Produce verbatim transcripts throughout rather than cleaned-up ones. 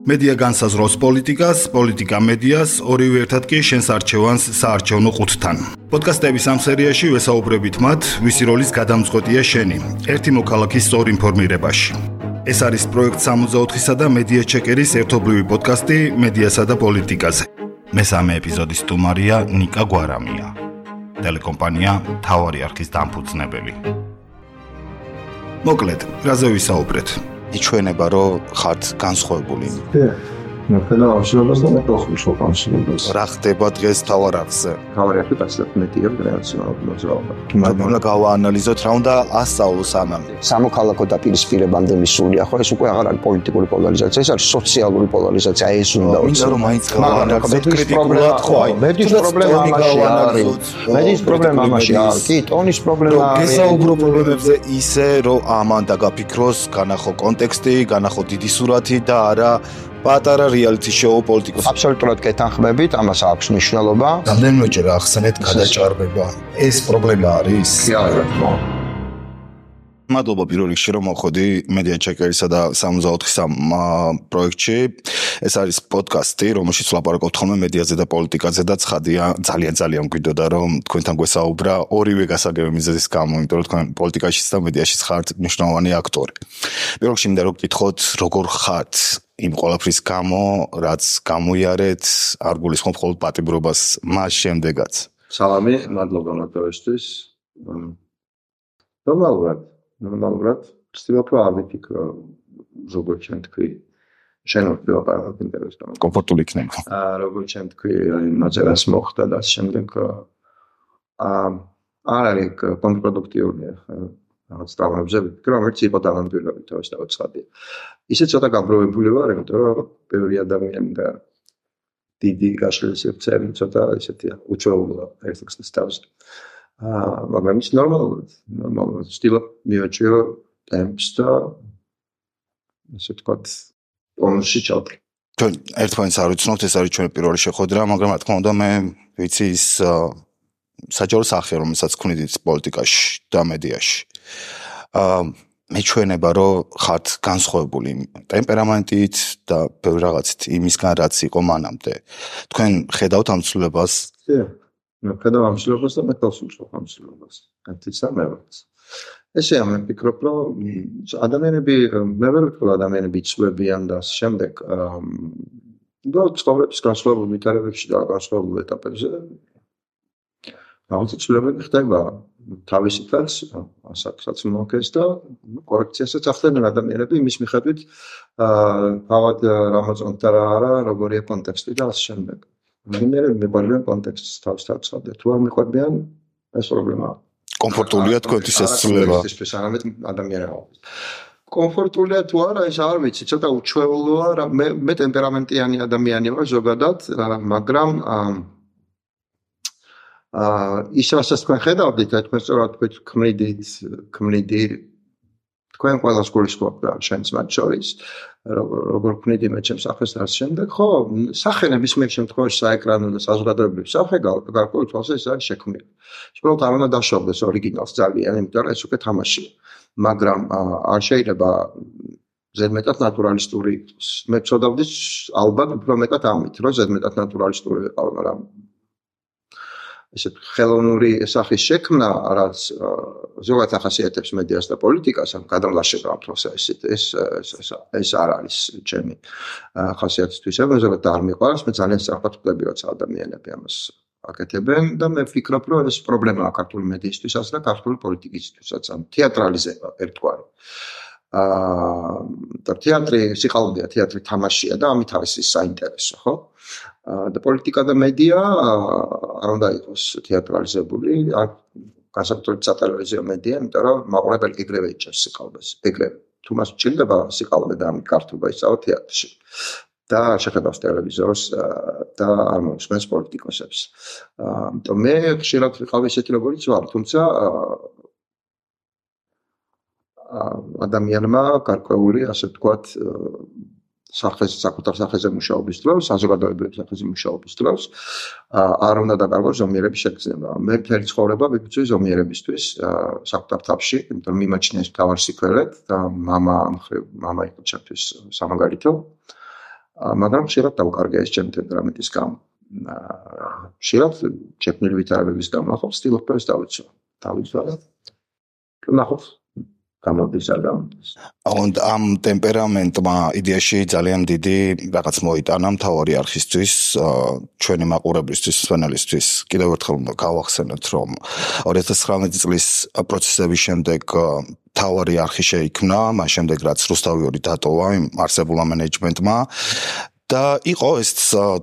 მედია განსაზღვრავს პოლიტიკას, პოლიტიკა მედიას, ორივე ერთად კი შენს არჩევანს საარჩევნო ყუთთან. პოდკასტების ამ სერიაში ვესაუბრებით მათ, ვისი როლის გადამწყვეტია შენი, ერთი მოქალაქის სწორ ინფორმირებაში. ეს არის პროექტ სამოცდაოთხისა და მედია ჩეკერის ერთობლივი პოდკასტი მედიასა და პოლიტიკაზე. მესამე ეპიზოდის სტუმარია ნიკა გვარამია, ტელეკომპანია მთავარი არქის დამფუძნებელი. მოკლედ, რაზე ვისაუბრეთ? იჩვენება, რომ ხართ განსხვავებული. ნახელა ამშრობას და მეტოხუშო ამშრობას. რა ხდება დღეს თავარ არხზე? თავარ არხი პასტმეტია რელაციონალური მოძრაობა. მაგრამ გავაანალიზოთ რა უნდა ასწავლოს ამან. სამოქალაქო დაპირისპირებამდე მისულია, ხო ეს უკვე აღარ არის პოლიტიკური პოლარიზაცია, ეს არის სოციალური პოლარიზაცია, ეს უნდა ვიცი რომ მაინც გავაანალიზოთ კრიტიკულად ხო აი მედის პრობლემა ამაში არის. მედის პრობლემა ამაში არის. კი, ტონის პრობლემა არის. გესაუბრო პრობლემებზე ისე რომ ამან დაგაფიქროს, განახო კონტექსტი, განახო დიდი სურათი და არა პატარა რეალიტი შოუ პოლიტიკოს. აბსოლუტურად გეთანხმებით, ამას აქვს მნიშვნელობა. რამდენიმეჯერ ახსენეთ გადაჭარბება. ეს პრობლემა არის? კი, არა. მადლობა პირველ რიგში რომ მოხვედი მედია ჩეკერისა და სამოცდაოთხის პროექტში. ეს არის პოდკასტი, რომელშიც ვლაპარაკობთ ხოლმე მედიაზე და პოლიტიკაზე და ცხადია, ძალიან ძალიან გვიდოდა რომ თქვენთან გვესაუბრა ორივე გასაგები მიზეზის გამო, იმიტომ რომ თქვენ პოლიტიკაშიც და მედიაშიც ხართ მნიშვნელოვანი აქტორი. პირველ რიგში მინდა რომ გკითხოთ, როგორ ხართ იმ ყველაფრის გამო, რაც გამოიარეთ, არ გულისხმობ მხოლოდ პატიმრობას მას შემდეგაც. სალამი, მადლობა მოწვევისთვის. ნორმალურად, ნორმალურად, ვცდილობ რომ არ ვიფიქრო, როგორც შენ თქვი, შენ ვიყავ ინტერესთან. კომფორტული იქნება. აა, როგორც შენ თქვი, მაწერას მოხდა და შემდეგ აა არ არის კონტრპროდუქტიულია. რაღაც ტრავმებზე ვიფიქრე, რომელიც იყო დამამტვირებელი თავის დაუცხადია. ისე ცოტა გაბროვებული ვარ, იმიტომ რომ ბევრი ადამიანი და დიდი გაშლილი სივრცეები ცოტა ისეთია, უჩვეულოა ერთ-ერთის თავზე. აა, მაგრამ ის ნორმალურად, ნორმალურად ვცდილობ მივაჩვიო ტემპს და ესე ვთქვათ, ონში ჩავდრე. ჩვენ ერთმანეთს არ ვიცნობთ, ეს არის ჩვენი პირველი შეხვედრა, მაგრამ რა თქმა უნდა მე ვიცი ის საჯარო სახე, რომელსაც ქმნით პოლიტიკაში და მედიაში. აა მეჩვენება, რომ ხართ განსხვავებული ტემპერამენტით და ბევრ რაღაცით იმისგან, რაც იყო მანამდე. თქვენ ხედავთ ამ ცვლილებას? კი, მე ხედავ ამ ცვლილებას და მე თავს ვუშვებ ამ ცვლილებას. ერთიც და მეც. ესეა, მე ვფიქრობ, რომ ადამიანები, მე ვერ ვფიქრობ, ადამიანები იცვლებიან და ამ შემდეგ აა და ცხოვრების განსხვავებულ ვითარებებში და განსხვავებულ ეტაპებზე რაღაც ცვლილებები ხდება. თავისი ფერს, ასაკსაც მოაქეს და კორექციასაც ახდენენ ადამიანები იმის მიხედვით, აა თავად რა მოწონთ და რა არა, როგორია კონტექსტი და ასე შემდეგ. ადამიანები მიყვარიან კონტექსტს თავს თავსავდეთ. თუ არ მიყვარიან, ეს პრობლემაა. კომფორტულია თქვენთვის ეს ცვლილება? ეს არამედ ადამიანებისთვის. კომფორტულია თუ არა, ეს არ ვიცი, ცოტა უჩვეულოა, მე მე ტემპერამენტიანი ადამიანი ვარ ზოგადად, მაგრამ აა აა ის რასაც თქვენ ხედავდით, თქვენ სწორად თქვით ქმნიდით, ქმნიდი თქვენ ყველას გულისხმობთ და შენც მათ შორის, როგორ ქმნიდი მე ჩემს სახეს და ამ შემდეგ, ხო, სახელების მე შემთხვევაში საეკრანო და საზოგადოებრივი სახე გარკვეულ თვალსა ეს არის შექმნილი. უბრალოდ არ უნდა დაშავდეს ორიგინალს ძალიან, იმიტომ რომ ეს უკვე თამაშია. მაგრამ არ შეიძლება ზედმეტად ნატურალისტური იყოს. მე ვწოდავდი ალბათ უფრო მეტად ამით, რომ ზედმეტად ნატურალისტური ვიყავ, მაგრამ ესე ხელოვნური სახის შექმნა, რაც ზოგადად ახასიათებს მედიას და პოლიტიკას, ამ გადამლაშება ამ პროცესით, ეს ეს ეს არ არის ჩემი ახასიათისთვის. მე ზოგადად არ მიყვარს, მე ძალიან სწრაფად ვხვდები, როცა ადამიანები ამას აკეთებენ და მე ვფიქრობ, რომ ეს პრობლემაა ქართული მედიისთვისაც და ქართული პოლიტიკისთვისაც, ამ თეატრალიზება ერთგვარი. აა და თეატრი სიყალბეა, თეატრი თამაშია და ამით არის ის საინტერესო, ხო? და პოლიტიკა და მედია არ უნდა იყოს თეატრალიზებული, განსაკუთრებით სატელევიზიო მედია, იმიტომ რომ მაყურებელი ეგრევე იჭერს სიყალბეს, ეგრევე. თუ მას ჭირდება სიყალბე და ამით გართობა ისავა თეატრში. და შეხედავს ტელევიზორს და არ მოусმენს პოლიტიკოსებს. ამიტომ მე ხშირად ვიყავ ესეთი როგორიც ვარ, თუმცა ადამიანმა გარკვეული, ასე ვთქვათ, სახეს საკუთარ სახეზე მუშაობის დროს, საზოგადოებრივ სახეზე მუშაობის დროს, არ უნდა დაკარგოს ზომიერების შეგრძნება. მე მთელი ცხოვრება ვიქცევი ზომიერებისთვის საკუთარ თავში, იმიტომ რომ მიმაჩნია ეს მთავარ სიკვდილად და მამა მხრივ მამა იყო ჩემთვის სამაგალითო. მაგრამ ხშირად დავკარგე ეს ჩემი ტემპერამენტის გამო. ხშირად შექმნილი ვითარებების გამო ახლა ვცდილობ ეს დავიცვა. დავიცვა და ნახოთ გამოდის არ გამოდის. Und am ტემპერამენტმა idეაში ძალიან დიდი რაღაც მოიტანა მთავარი არქისთვის, ჩვენი მაყურებლისთვის, სვენელისთვის. კიდევ ერთხელ უნდა გავახსენოთ, რომ ორი ათას ცხრამეტი წლის პროცესების შემდეგ მთავარი არქი შეიქმნა, მას შემდეგ რაც რუსთავი ორი დატოვა იმ არსებულმა მენეჯმენტმა. და იყო ეს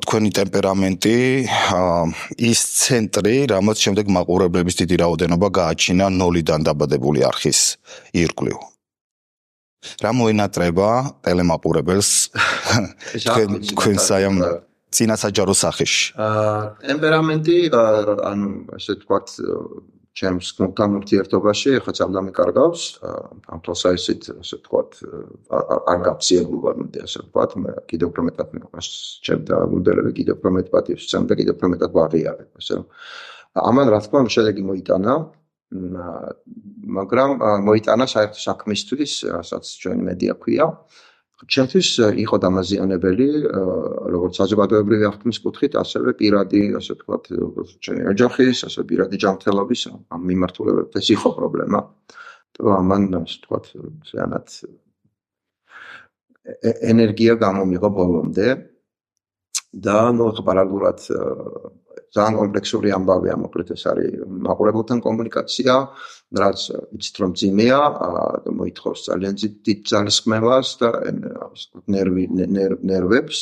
თქვენი ტემპერამენტი ის ცენტრი, რამაც შემდეგ მაყურებლების დიდი რაოდენობა გააჩინა ნოლიდან დაბადებული არქის ირგვლივ. რა მოინატრება ტელემაყურებელს თქვენს აი ამ წინასაჯარო სახეში? ტემპერამენტი, ანუ ასე ვთქვათ, ჩემს გუნდთან ურთიერთობაში ხა წამდა მეკარგავს, ამ თვალსაზრისით ასე ვთქვათ, არ გაფციებულა მე ასე ვთქვათ, მე კიდევ უფრო მეტად მეყავს ჩემ და მოდელები კიდევ უფრო მეტ პატივს ვცემ და კიდევ უფრო მეტად ვაღიარებ, ასე რომ ამან რა თქმა უნდა შედეგი მოიტანა, მაგრამ მოიტანა საერთო საქმისთვის, რასაც ჩვენი მედია ქვია. ჩემთვის იყო დამაზიანებელი, როგორც საზოგადოებრივი აღქმის კუთხით, ასევე პირადი, ასე ვთქვათ, ჩემი ოჯახის, ასე პირადი ჯანმრთელობის ამ მიმართულებით ეს იყო პრობლემა. და ამან, ასე ვთქვათ, ზიანად ენერგია გამომიღო ბოლომდე და ნუ პარალელურად ძალიან კომპლექსური ამბავია, მოკლედ ეს არის მაყურებელთან კომუნიკაცია, რაც იცით რომ ძიმეა, მოითხოვს ძალიან დიდ ძალისხმევას და ნერვი ნერვებს,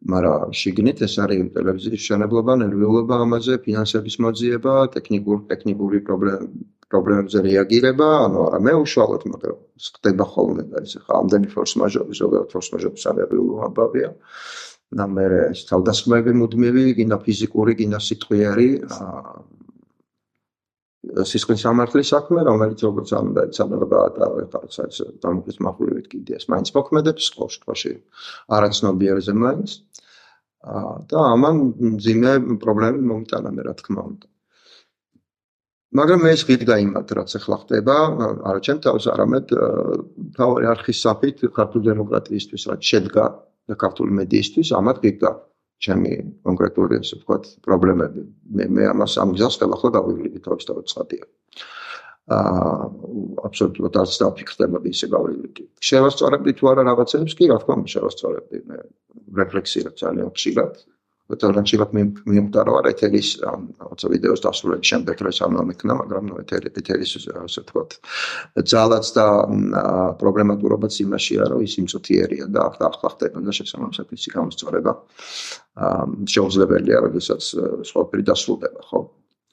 მაგრამ შიგნით ეს არის ტელევიზიის მშენებლობა, ნერვიულობა ამაზე, ფინანსების მოძიება, ტექნიკური ტექნიკური პრობლემებზე რეაგირება, ანუ არა მე უშუალოდ, მაგრამ ხდება ხოლმე და ეს ხა ამდენი ფორს მაჟორი, ზოგადად ფორს მაჟორი სანერვიულო ამბავია. და მე ეს თავდასხმები მუდმივი, გინდა ფიზიკური, გინდა სიტყვიერი, სისხლის სამართლის საქმე, რომელიც როგორც არ უნდა ეცადება და ეხლა ეს დამოკიდების მახვილებით კიდე ეს მაინც მოქმედებს, ყოველ შემთხვევაში არაცნობიერზე მაინც. და ამან მძიმე პრობლემები მომიტანა მე რა თქმა უნდა. მაგრამ ეს ღირ გაიმართ, რაც ახლა ხდება, არა ჩემ თავს, არამედ მთავარი არქის საფით ქართული დემოკრატიისთვის, რაც შედგა და ქართული მედიისთვის, ამათ გიგდა ჩემი კონკრეტული, ასე ვთქვათ, პრობლემები. მე მე ამას ამ გზას ხელახლა გავივლები თავის თავისწადია. აა აბსოლუტურად არც დაფიქრდებოდი ისე გავივლები. შევასწორებდი თუ არა რაღაცებს, კი რა თქმა უნდა შევასწორებდი. მე რეფლექსია ძალიან ხშირად. ძალიან ხშირად მიემტარო არა ეთერის რაღაცა ვიდეოს დასრულების შემდეგ რა სამმა მექნა, მაგრამ ნუ ეთერი ეთერის ასე ვთქვათ, ძალაც და პრობლემატურობაც იმაშია, რომ ის იმწუთიერია და ახლა ახლა ხდება და შესაბამისად ისი გამოსწორება შეუძლებელია, როდესაც სხვაფერი დასრულდება, ხო?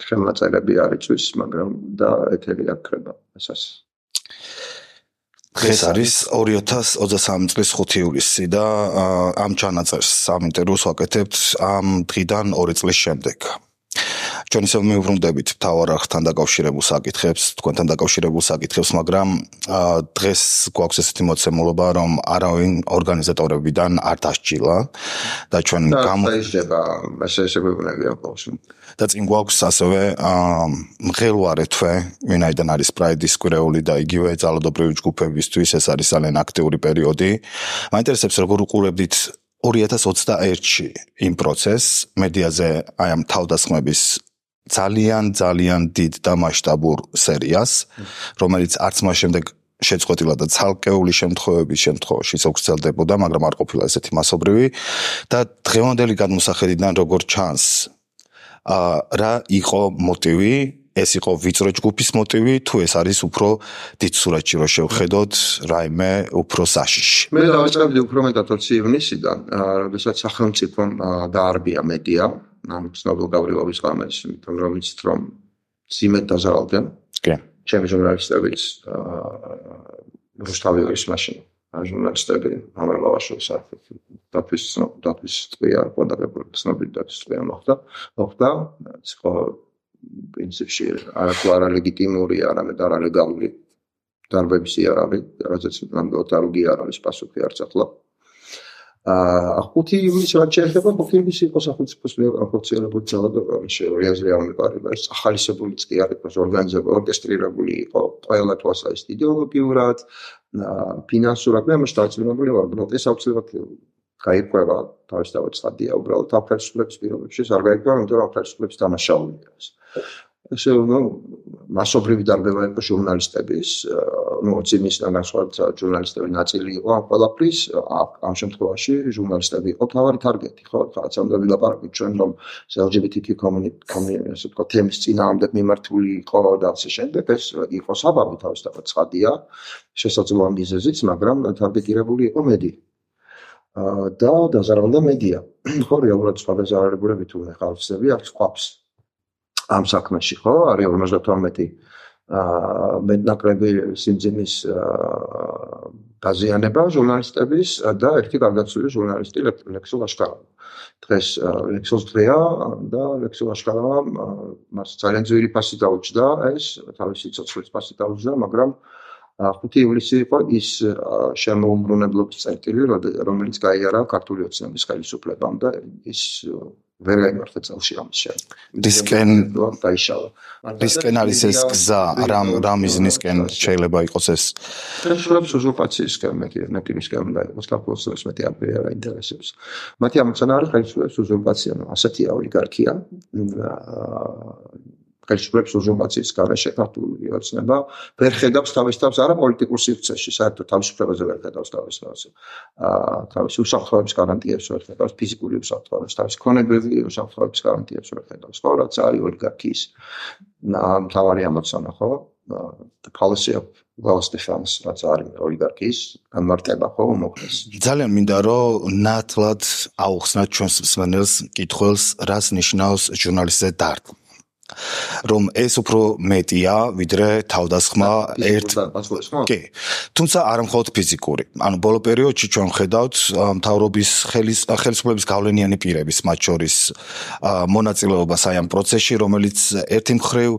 ხელნაწერები არ იწვის, მაგრამ და ეთერი არ ქრება, ესას. დღეს არის ორი ათას ოცდასამი წლის ხუთი ივლისი და ამ ჩანაწერს ამ ინტერვიუს ვაკეთებთ ამ დღიდან ორი წლის შემდეგ. ჩვენ ისევ მივბრუნდებით მთავარ არხთან დაკავშირებულ საკითხებს, თქვენთან დაკავშირებულ საკითხებს, მაგრამ დღეს გვაქვს ესეთი მოცემულობა, რომ არავინ ორგანიზატორებიდან არ დასჯილა და ჩვენ გამოიჭება შესაძლებელია ბოლოს. და წინ გვაქვს ასევე მღელვარე თვე, ვინაიდან არის პრაიდის კვირეული და იგივე ძალადობრივი ჯგუფებისთვის ეს არის ძალიან აქტიური პერიოდი. მაინტერესებს როგორ უყურებდით ორი ათას ოცდაერთში იმ პროცესს, მედიაზე აი ამ თავდასხმების ძალიან ძალიან დიდ და მასშტაბურ სერიას, რომელიც არც მას შემდეგ შეწყვეტილა და ცალკეული შემთხვევების შემთხვევაშიც გრძელდებოდა, მაგრამ არ ყოფილა ესეთი მასობრივი და დღევანდელი გადმოსახედიდან როგორ ჩანს, რა იყო მოტივი, ეს იყო ვიწრო ჯგუფის მოტივი, თუ ეს არის უფრო დიდ სურათში რო შევხედოთ, რაიმე უფრო საშიში. მე დავიწყებდი უფრო მეტად ოცი ივნისიდან, როდესაც სახელმწიფომ დაარბია მედია, ამ ცნობილ გავრილობის ღამეს, იმიტომ რომ იცით რომ ძიმედ დაზარალდნენ. კი. ჩემი ჟურნალისტების რუსთავი ის მაშინ ჟურნალისტები ამერლავაშოს დათვის დათვის წვია ყოდაგებული ცნობილი დათვის წვია მოხდა მოხდა ხო პრინციპში არა ლეგიტიმური არამედ არალეგალური დარბების იარაღი რაზეც ნამდვილად არ უგია არის პასუხი არც ახლა აა ხუთი ივნისი რაც შეეხება ხუთი ივნისი იყო სახელმწიფოს ოფიციალური ძალადობა შეუძლია ამიყარება ეს ახალისებული წი არის ორგანიზებული ორკესტრირებული იყო ყველა თვალსაზრისით იდეოლოგიურად ფინანსურად მე ამას დაძლევებული ვარ რომ ეს აუცილებლად გაიყვება თავისთავად ცხადია უბრალოდ ამ ხელისუფლების პირობებში არ გაიყვება, იმიტომ რომ ხელისუფლების დანაშაულია ეს. ესე ნუ მასობრივი დარბევა იყო ჟურნალისტების, ნუ ოციმისგან განსხვავებით ჟურნალისტები ნაწილი იყო ამ ყველაფრის, ამ შემთხვევაში ჟურნალისტები იყო თავარი თარგეტი, ხო? ხაც ამ ვილაპარაკოთ ჩვენ რომ ელ ჯი ბი თი კიუ კომიუნიტი, ასე ვთქვათ, თემის წინააღმდეგ მიმართული იყო და ასე შემდეგ, ეს იყო საბაბი თავისთავად ცხადია, შესაძლოა მიზეზიც, მაგრამ თარგეტირებული იყო მედია. და დაზარალდა მედია. ხო, რეალურად სხვა დაზარალებულები თუ ხალხები აქვს ყვავს. ამ საქმეში ხო არის ორმოცდათორმეტი მეტნაკლები სიმძიმის დაზიანება ჟურნალისტების და ერთი გარდაცვლილი ჟურნალისტი ლექსო ლაშქარავა. დღეს ლექსოს დღეა და ლექსო ლაშქარავა მას ძალიან ძვირი ფასი დაუჭდა ეს თავისი ცოცხლის ფასი დაუჭდა, მაგრამ ხუთი ივლისი იყო ის შემოუმბრუნებლობის წერტილი, რომელიც გაიარა ქართული ოცნების ხელისუფლებამ და ის ვერ გაიმართა წელში ამის შემდეგ. დისკენ დაიშალა. დისკენ არის ეს გზა, რამ რამ მიზნისკენ შეიძლება იყოს ეს? ხელისუფლების უზურპაციისკენ, მეტნაკლებისკენ და იყოს საქართველოს მეტი აბერა ინტერესებს. მათი ამოცანა არის ხელისუფლების უზურპაცია, ასეთია ოლიგარქია. ხელისუფლების უზურპაციის გარეშე ქართული ოცნება ვერ ხედავს თავის თავს არა პოლიტიკურ სივრცეში, საერთოდ თავისუფლებაზე ვერ ხედავს თავის თავს. აა თავის უსაფრთხოების გარანტიებს ვერ ხედავს, ფიზიკური უსაფრთხოების, თავის ქონებრივი უსაფრთხოების გარანტიებს ვერ ხედავს. ხო, რაც არის ოლიგარქიის მთავარი ამოცანა, ხო? The policy of wealth defense, რაც არის ოლიგარქიის განმარტება, ხო, მოკლეს. ძალიან მინდა რომ ნათლად აუხსნათ ჩვენს მსმენელს კითხვას, რას ნიშნავს ჟურნალისტზე დარტყმა. რომ ეს უფრო მეტია ვიდრე თავდასხმა ერთ კი თუმცა არა მხოლოდ ფიზიკური ანუ ბოლო პერიოდში ჩვენ ხედავთ მთავრობის ხელისუფლების გავლენიანი პირების მათ შორის მონაწილეობას აი ამ პროცესში რომელიც ერთი მხრივ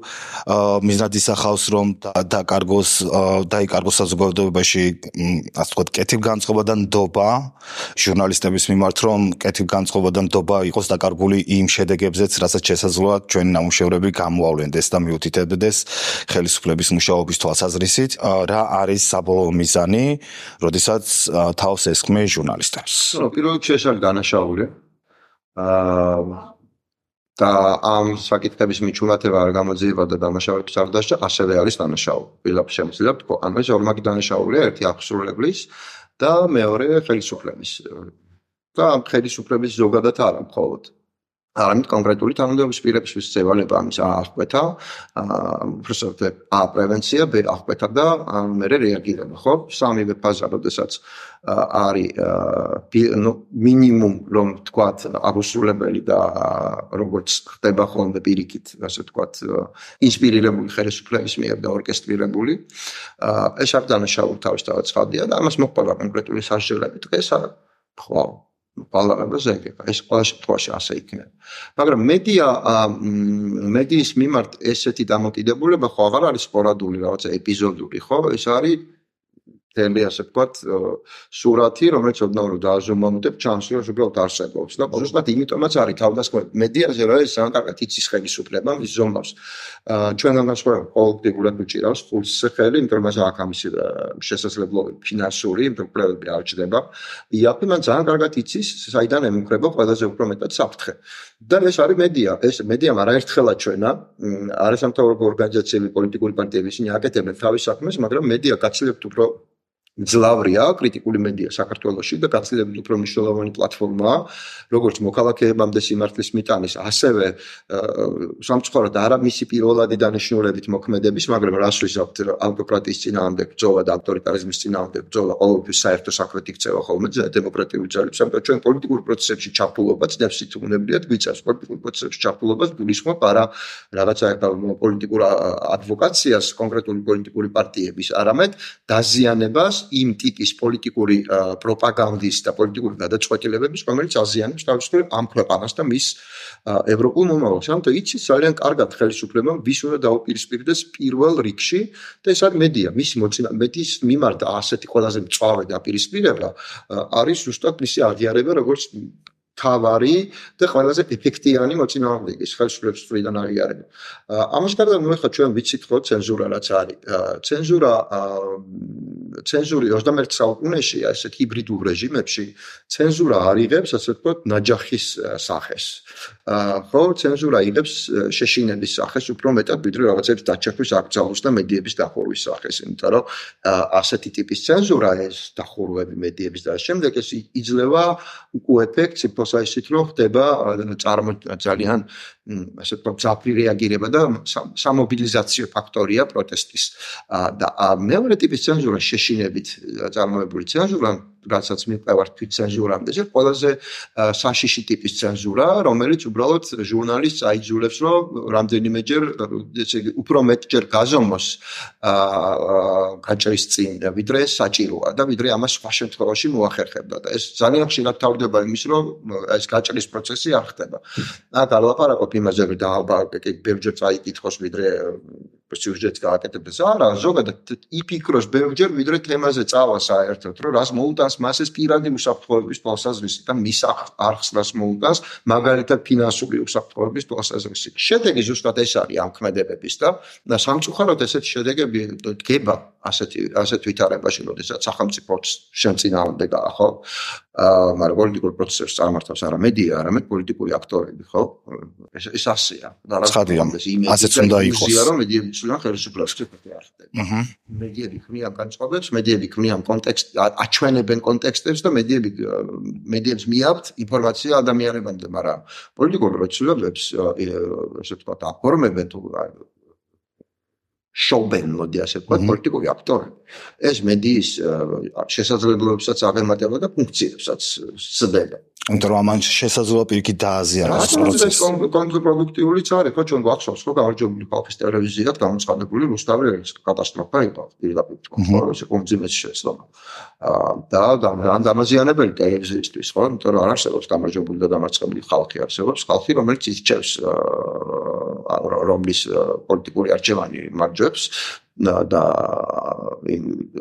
მიზნად ისახავს რომ დაკარგოს დაიკარგოს საზოგადოებაში ასე ვთქვათ კეთილგანწყობა და ნდობა ჟურნალისტების მიმართ რომ კეთილგანწყობა და ნდობა იყოს დაკარგული იმ შედეგებზეც რასაც შესაძლოა ჩვენი ნამუშევრები გამოავლენდეს და მიუთითებდეს ხელისუფლების მუშაობის თვალსაზრისით რა არის საბოლოო მიზანი, როდესაც თავს ესხმე ჟურნალისტებს. ნუ პირველ რიგში ეს არის დანაშაული. აა და ამ საკითხების მიჩვენება არ გამოძიება და დანაშაულების არ დასჭა, ასევე არის დანაშაული. ვილაპარაკ შემიძლია თქვა, ანუ ეს ორმაგი დანაშაულია, ერთი აღსრულებლის და მეორე ხელისუფლების. და ამ ხელისუფლების ზოგადად არა მხოლოდ არამედ კონკრეტული თანამდებობის პირების წევალება ამის აღკვეთა, უბრალოდ ა პრევენცია, ბ აღკვეთა და მერე რეაგირება, ხო? სამივე ფაზა, როდესაც არის ნუ მინიმუმ რომ ვთქვათ აღუსრულებელი და როგორც ხდება ხოლმე პირიქით, ასე ვთქვათ, ინსპირირებული ხელისუფლების მიერ და ორკესტრირებული, ეს არ დანაშაული თავისთავად ცხადია და ამას მოყვა კონკრეტული სასჯელები დღეს ხო პალარებას ეგება, ეს ყველა შემთხვევაში ასე იქნება. მაგრამ მედია მედიის მიმართ ესეთი დამოკიდებულება ხო აღარ არის სპორადული, რაღაცა ეპიზოდური, ხო? ეს არის თემი, ასე ვთქვათ, სურათი, რომელიც ოდნავ დააზომამდებ ჩანს, რომ უბრალოდ არსებობს და უბრალოდ იმიტომაც არის თავდასხმა მედიაზე, რომ ეს ძალიან კარგად იცის ხელისუფლება, ის ზომავს. ჩვენგან განსხვავებით პოლიტიკურად უჭირავს ფულს ხელი, იმიტომ რომ აქ ამის შესაძლებლობები ფინანსური, პრობლემები არ ჩდება. იაფი მან ძალიან კარგად იცის, საიდან ემუქრება ყველაზე უფრო მეტად საფრთხე. და ეს არის მედია. ეს მედიამ არაერთხელაც ჩვენა, არასამთავრობო ორგანიზაციები, პოლიტიკური პარტიები ისინი აკეთებენ თავის საქმეს, მაგრამ მედია გაცილებით უფრო ძლავრია კრიტიკული მედია საქართველოში და გაცილებით უფრო მნიშვნელოვანი პლატფორმაა, როგორც მოქალაქეებამდე სიმართლის მიტანის, ასევე სამწუხაროდ არა მისი პირველადი დანიშნულებით მოქმედების, მაგრამ რას ვიზავთ ავტოკრატიის წინააღმდეგ ბრძოლა და ავტორიტარიზმის წინააღმდეგ ბრძოლა ყოველთვის საერთო საქმედ იქცევა ხოლმე დემოკრატიული ძალებს, ამიტომ ჩვენ პოლიტიკურ პროცესებში ჩაფულობაც დევსით უნებლიათ გვიწევს პოლიტიკურ პროცესებში ჩაფულობას გულისხმობ არა რაღაცა პოლიტიკურ ადვოკაციას კონკრეტული პოლიტიკური პარტიების, არამედ დაზიანებას იმ ტიპის პოლიტიკური პროპაგანდის და პოლიტიკური გადაწყვეტილებების, რომელიც აზიანებს თავისუფლად ამ ქვეყანას და მის ევროპულ მომავალს. ამიტომ იცის ძალიან კარგად ხელისუფლებამ ვის უნდა დაუპირისპირდეს პირველ რიგში და ეს არის მედია. მისი მოწინააღმდეგე მედიის მიმართ ასეთი ყველაზე მწვავე დაპირისპირება არის ზუსტად მისი აღიარება, როგორც თავარი და ყველაზე ეფექტიანი მოწინააღმდეგის ხელისუფლების მხრიდან აღიარება. ამას გარდა ნუ ეხლა ჩვენ ვიცით ხო ცენზურა რაც არის. ცენზურა ცენზური ოცდამეერთე საუკუნეში ასეთ ჰიბრიდულ რეჟიმებში ცენზურა არ იღებს ასე ვთქვათ ნაჯახის სახეს. ხო ცენზურა იღებს შეშინების სახეს უფრო მეტად ვიდრე რაღაცების დაჩეხვის აკრძალვის და მედიების დახურვის სახეს, იმიტომ რომ ასეთი ტიპის ცენზურა ეს დახურვები მედიების და შემდეგ ეს იძლევა უკუ ეფექტს იმას ისეთ რომ ხდება წარმო ძალიან ასე ვთქვათ ძაფრი რეაგირება და სამობილიზაციო ფაქტორია პროტესტის და მეორე ტიპის ცენზურა შეშინებით წარმოებული ცენზურა რასაც მიყევართ თვით ცენზურამდე ეს ყველაზე საშიში ტიპის ცენზურა რომელიც უბრალოდ ჟურნალისტს აიძულებს რომ რამდენიმეჯერ ესე იგი უფრო მეტჯერ გაზომოს გაჭრის წინ ვიდრე საჭიროა და ვიდრე ამას სხვა შემთხვევაში მოახერხებდა და ეს ძალიან ხშირად თავდება იმის რომ ეს გაჭრის პროცესი არ ხდება. აქ არ ლაპარაკობ იმაზე რომ დაალბარაკე ბევრჯერ წაიკითხოს ვიდრე სიუჟეტს გააკეთებდეს არა ზოგადად იფიქროს ბევრჯერ ვიდრე თემაზე წავა საერთოდ რომ რას მოუტანს მას ეს პირადი უსაფრთხოების თვალსაზრისი და მის არხს რას მოუტანს მაგალითად ფინანსური უსაფრთხოების თვალსაზრისი. შედეგი ზუსტად ეს არის ამ ქმედებების და სამწუხაროდ ესეთი შედეგები დგება ასეთი ასეთ ვითარებაში როდესაც სახელმწიფოც შენ წინააღმდეგაა ხო მაგრამ პოლიტიკურ პროცესებს წარმართავს არა მედია არამედ პოლიტიკური აქტორები ხო ეს ეს ასეა და რა ასეც უნდა იყოს რომ მედიები ცვლიან ხელისუფლებას არ ხდება. მედიები ქმნიან განწყობებს, მედიები ქმნიან კონტექსტს, აჩვენებენ კონტექსტებს და მედიები მედიებს მიაქვთ ინფორმაცია ადამიანებამდე, მაგრამ პოლიტიკურ პროცესებს ესე ვთქვათ აფორმებენ თუ შობენ მოდი ასე ვთქვათ პოლიტიკური აქტორები. ეს მედიის შესაძლებლობებსაც აღემატება და ფუნქციებსაც სცდება. იმიტომ რომ ამან შესაძლოა პირიქით დააზიანოს პროცესი. კონტრპროდუქტიულიც არის, ხო ჩვენ გვახსოვს, ხო გამარჯვებული ხალხის ტელევიზიად გამოცხადებული რუსთავი კატასტროფა იყო პირდაპირ თქო, ეს კომძიმეს შეცდომა. და ამ დამაზიანებელი ტელევიზიისთვის, ხო, იმიტომ რომ არ არსებობს გამარჯვებული და დამარცხებული ხალხი, არსებობს ხალხი, რომელიც ირჩევს რომლის პოლიტიკური არჩევანი მარჯვებს და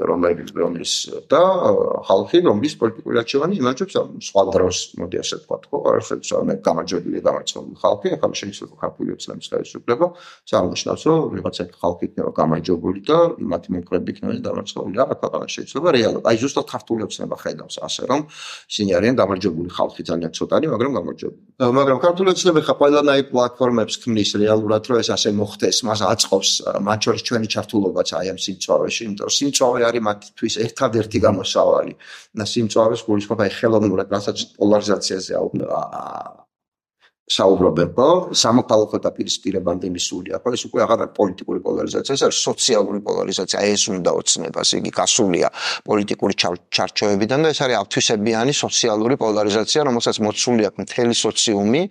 რომლის რომლის და ხალხი რომლის პოლიტიკური არჩევანი იმარჯვებს სხვა დროს მოდი ასე ვთქვათ ხო არსებობს ამ გამარჯვებული დამარცხებული ხალხი ახლა შეიძლება ქართული ოცნების ხელისუფლება წარმოჩნავს რომ ვიღაცა ხალხი იქნება გამარჯვებული და მათი მომხრეები იქნება დამარცხებული რა ქვეყანა შეიძლება რეალურად აი ზუსტად ქართული ოცნება ხედავს ასე რომ ისინი არიან გამარჯვებული ხალხი ძალიან ცოტანი მაგრამ გამარჯვებული მაგრამ ქართული ოცნება ხა ყველანაირ პლატფორმებს ქმნის რეალურად რომ ეს ასე მოხდეს მას აწყობს მათ შორის ჩვენი ჩართულობაც აი ამ სიმწვავეში იმიტომ რომ სიმწვავე არის მათთვის ერთადერთი გამოსავალი და სიმწვავეს გულისხმობ აი ხელოვნურად რასაც პოლარიზაციაზე საუბრობენ ხო სამოქალაქო დაპირისპირებამდე მისულია ხო ეს უკვე აღარ არის პოლიტიკური პოლარიზაცია ეს არის სოციალური პოლარიზაცია ეს უნდა ოცნებას იგი გასულია პოლიტიკური ჩარჩოებიდან და ეს არის ავთვისებიანი სოციალური პოლარიზაცია რომელსაც მოცული აქვს მთელი სოციუმი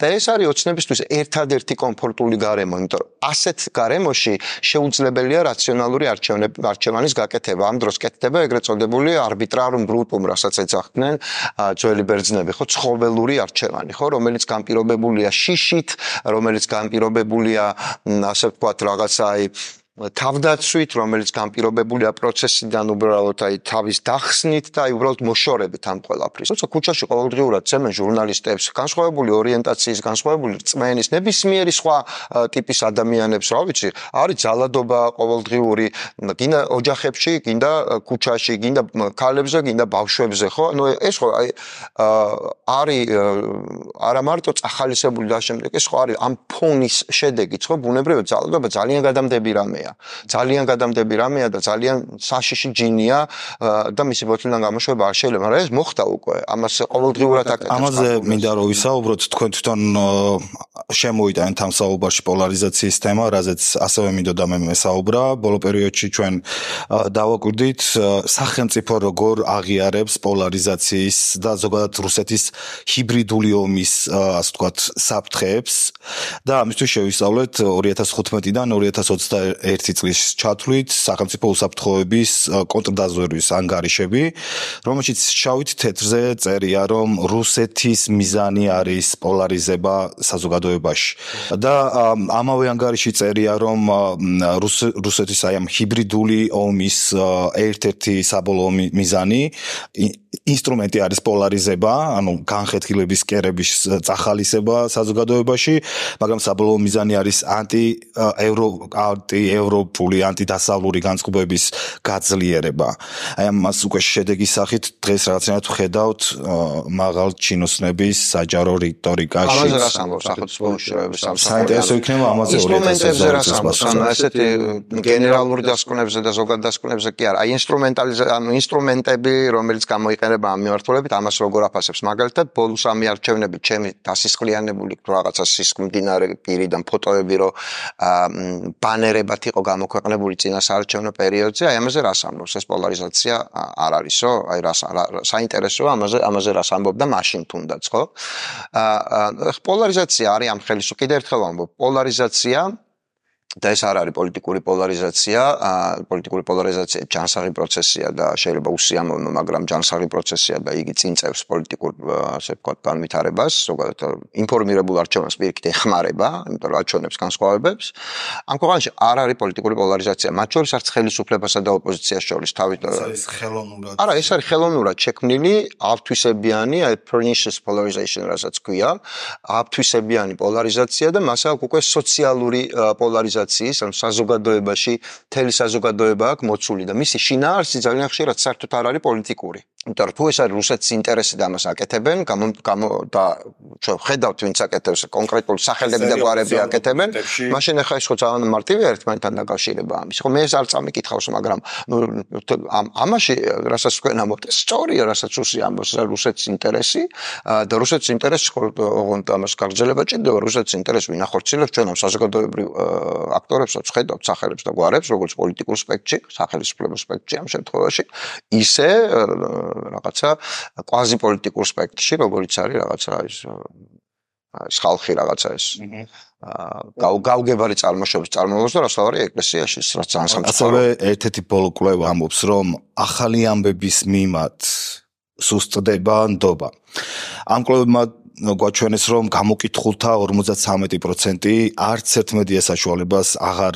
და ეს არის ოცნებისთვის ერთადერთი კომფორტული გარემო იმიტომ რომ ასეთ გარემოში შეუძლებელია რაციონალური არჩევანის გაკეთება ამ დროს კეთდება ეგრეთ წოდებული არბიტრარულ ბრუტუმ რასაც ეძახდნენ ძველი ბერძნები ხო ცხოველური არჩევანი ხო რომელიც განპირობებულია შიშით, რომელიც განპირობებულია ასე ვთქვათ რაღაცა აი თავდაცვით, რომელიც განპირობებულია პროცესიდან უბრალოდ აი თავის დახსნით და აი უბრალოდ მოშორებით ამ ყველაფრის. როცა ქუჩაში ყოველდღიურად წემენ ჟურნალისტებს, განსხვავებული ორიენტაციის, განსხვავებული რწმენის, ნებისმიერი სხვა ტიპის ადამიანებს, რა ვიცი, არის ძალადობა ყოველდღიური, გინდა ოჯახებში, გინდა ქუჩაში, გინდა ქალებზე, გინდა ბავშვებზე, ხო? ნუ ეს ხო აი არის არა მარტო წახალისებული და შემდეგ, ეს ხო არის ამ ფონის შედეგიც, ხო? ბუნებრივად ძალადობა ძალიან გადამდები რამეა. ძალიან გადამდები რამეა და ძალიან საშიში ჯინია და მისი ბოთლიდან გამოშვება არ შეიძლება, მაგრამ ეს მოხდა უკვე. ამას ყოველდღიურად აკეთებს. ამაზე მინდა რომ ვისაუბროთ, თქვენ თვითონ შემოვიტანეთ ამ საუბარში პოლარიზაციის თემა, რაზეც ასევე მინდოდა მე მესაუბრა. ბოლო პერიოდში ჩვენ დავაკვირდით სახელმწიფო როგორ აღიარებს პოლარიზაციის და ზოგადად რუსეთის ჰიბრიდული ომის, ასე ვთქვათ, საფრთხეებს და ამისთვის შევისწავლეთ ორი ათას თხუთმეტიდან ორი ათას ოცდაერთი ერთი წლის ჩათვლით სახელმწიფო უსაფრთხოების კონტრდაზვერვის ანგარიშები, რომელშიც შავით თეთრზე წერია, რომ რუსეთის მიზანი არის პოლარიზება საზოგადოებაში. და ამავე ანგარიში წერია, რომ რუსეთის აი ამ ჰიბრიდული ომის ერთ-ერთი საბოლოო მიზანი ინსტრუმენტი არის პოლარიზება, ანუ განხეთქილების კერების წახალისება საზოგადოებაში, მაგრამ საბოლოო მიზანი არის ანტი ევრო ანტი ევროპული ანტიდასავლური განწყობების გაძლიერება. აი ამას უკვე შედეგის სახით დღეს რაღაცნაირად ვხედავთ მაღალ ჩინოსნების საჯარო რიტორიკაში. ამაზე რას ამბობს სახელმწიფო უშუალოების საინტერესო იქნება ამაზე ინსტრუმენტებზე რას ამბობს, ანუ ესეთი გენერალური დასკვნებზე და ზოგად დასკვნებზე კი არა, აი ინსტრუმენტალიზა ანუ ინსტრუმენტები, რომელიც გამოიყენება ამ მიმართულებით, ამას როგორ აფასებს. მაგალითად, ბოლოს ამი არჩევნები ჩემი დასისხლიანებული რაღაცა სისხლმდინარე პირიდან ფოტოები რო ბანერებად იყო გამოქვეყნებული წინა საარჩევნო პერიოდზე, აი ამაზე რას ამბობს? ეს პოლარიზაცია არ არისო? აი რას საინტერესოა ამაზე ამაზე რას ამბობდა მაშინ თუნდაც, ხო? აა პოლარიზაცია არის ამ ხელის კიდე ერთხელ ვამბობ, პოლარიზაცია და ეს არ არის პოლიტიკური პოლარიზაცია, პოლიტიკური პოლარიზაცია ჯანსაღი პროცესია და შეიძლება უსიამოვნო, მაგრამ ჯანსაღი პროცესია და იგი წინწევს პოლიტიკურ, ასე ვთქვათ, განვითარებას, ზოგადად ინფორმირებულ არჩევნებს პირიქით ეხმარება, იმიტომ რომ არჩევნებს განსხვავებებს. ამ ქვეყანაში არ არის პოლიტიკური პოლარიზაცია, მათ შორის არც ხელისუფლებასა და ოპოზიციას შორის თავით. ეს ხელოვნურად. არა, ეს არის ხელოვნურად შექმნილი, ავთვისებიანი, აი pernicious polarization, რასაც ქვია, ავთვისებიანი პოლარიზაცია და მას აქვს უკვე სოციალური პოლარიზაცია ამ საზოგადოებაში მთელი საზოგადოება აქვს მოცული და მისი შინაარსი ძალიან ხშირად საერთოდ არ არის პოლიტიკური. იმიტომ რომ თუ ეს არის რუსეთის ინტერესი და ამას აკეთებენ, გამო და ჩვენ ხედავთ ვინც აკეთებს კონკრეტულ სახელები და გვარები აკეთებენ, მაშინ ახლა ის ხო ძალიან მარტივია ერთმანეთთან დაკავშირება ამის. ხო მე ეს არ წამიკითხავს, მაგრამ ნუ ამაში რასაც თქვენ ამბობთ, სწორია, რასაც რუსი ამბობს, რუსეთის ინტერესი და რუსეთის ინტერესი ხო ოღონდ ამას გაგრძელება ჭირდება, რუსეთის ინტერესი ვინ ახორციელებს ჩვენ ამ საზოგადოებრივ აქტორებსაც ხედავთ სახელებს და გვარებს, როგორც პოლიტიკურ სპექტრში, სახელმწიფო სპექტრში ამ შემთხვევაში, ისე რაღაცა კვაზიპოლიტიკურ სპექტრში, როგორც არის რაღაცა ის ეს ხალხი რაღაცა ეს გაუგებარი წარმოშობის წარმოებას და რასავარი ეკლესიაში, რაც ძალიან სამწუხაროა. ასევე ერთ-ერთი ბოლო კვლევა ამბობს, რომ ახალი ამბების მიმართ სუსტდება ნდობა. ამ კვლევებმა გვაჩვენეს, რომ გამოკითხულთა ორმოცდათრამეტი პროცენტი არც ერთ მედია საშუალებას აღარ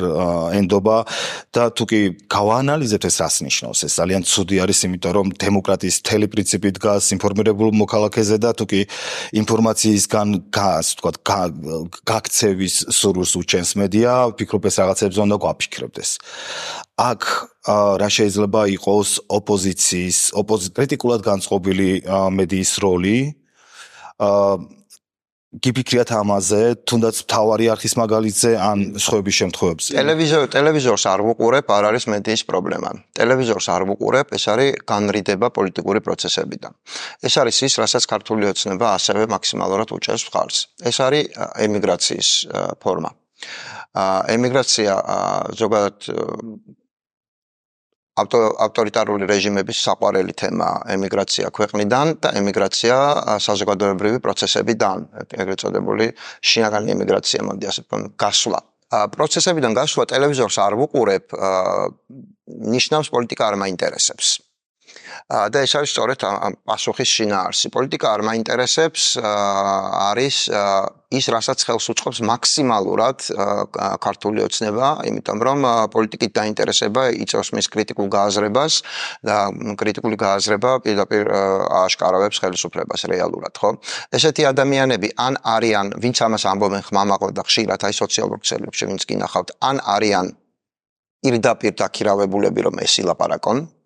ენდობა და თუ კი გავაანალიზებთ ეს რას ნიშნავს, ეს ძალიან ცუდი არის, იმიტომ რომ დემოკრატიის მთელი პრინციპი დგას ინფორმირებულ მოქალაქეზე და თუ კი ინფორმაციისგან ასე ვთქვათ გაქცევის სურვილს უჩენს მედია, ვფიქრობ ეს რაღაცებზე უნდა გვაფიქრებდეს. აქ რა შეიძლება იყოს ოპოზიციის, კრიტიკულად განწყობილი მედიის როლი? აა გიფიქრიათ ამაზე, თუნდაც მთავარი არხის მაგალითზე ან სხვების შემთხვევებში. ტელევიზორ ტელევიზორს არ ვუყურებ, არ არის მედიის პრობლემა. ტელევიზორს არ ვუყურებ, ეს არის განრიდება პოლიტიკური პროცესებიდან. ეს არის ის, რასაც ქართული ოცნება ასევე მაქსიმალურად უჭერს მხარს. ეს არის ემიგრაციის ფორმა. ემიგრაცია ზოგადად ავტორიტარული რეჟიმების საყვარელი თემა ემიგრაცია ქვეყნიდან და ემიგრაცია საზოგადოებრივი პროცესებიდან, ეგრეთ წოდებული შინაგანი ემიგრაცია, მოდი ასე ვთქვათ, გასვლა. პროცესებიდან გასვლა ტელევიზორს არ ვუყურებ, ნიშნავს პოლიტიკა არ მაინტერესებს. და ეს არის სწორედ პასუხის შინაარსი. პოლიტიკა არ მაინტერესებს არის ის, რასაც ხელს უწყობს მაქსიმალურად ქართული ოცნება, იმიტომ რომ პოლიტიკით დაინტერესება იწევს მის კრიტიკულ გააზრებას და კრიტიკული გააზრება პირდაპირ ააშკარავებს ხელისუფლებას რეალურად, ხო? ესეთი ადამიანები ან არიან, ვინც ამას ამბობენ ხმამაღლა და ხშირად აი სოციალურ ქსელებში ვინც გინახავთ, ან არიან პირდაპირ დაქირავებულები, რომ ეს ილაპარაკონ.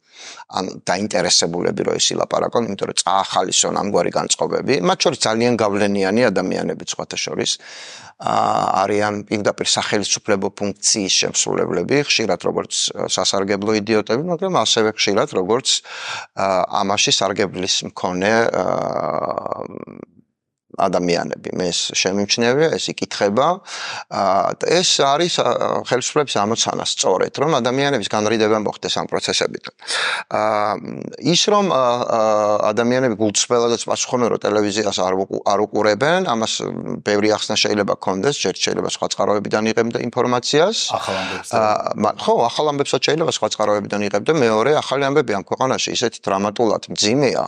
ან დაინტერესებულები რო ის ილაპარაკონ, იმიტომ რომ წაახალისონ ამგვარი განწყობები, მათ შორის ძალიან გავლენიანი ადამიანები სხვათა შორის არიან პირდაპირ სახელმწიფო ფუნქციის შემსრულებლები, ხშირად როგორც სასარგებლო იდიოტები, მაგრამ ასევე ხშირად როგორც ამაში სარგებლის მქონე ადამიანები, მე ეს შემიმჩნევია, ეს იკითხება. ეს არის ხელისუფლების ამოცანა სწორედ, რომ ადამიანების განრიდება მოხდეს ამ პროცესებიდან. ის რომ ადამიანები გულწრფელადაც პასუხობენ, რომ ტელევიზიას არ უყურებენ, ამას ბევრი ახსნა შეიძლება გქონდეს, ჯერ შეიძლება სხვა წყაროებიდან იღებდა ინფორმაციას. ახალ ამბებს. ხო, ახალ ამბებსაც შეიძლება სხვა წყაროებიდან იღებდა. მეორე, ახალი ამბები ამ ქვეყანაში ისეთი დრამატულად მძიმეა,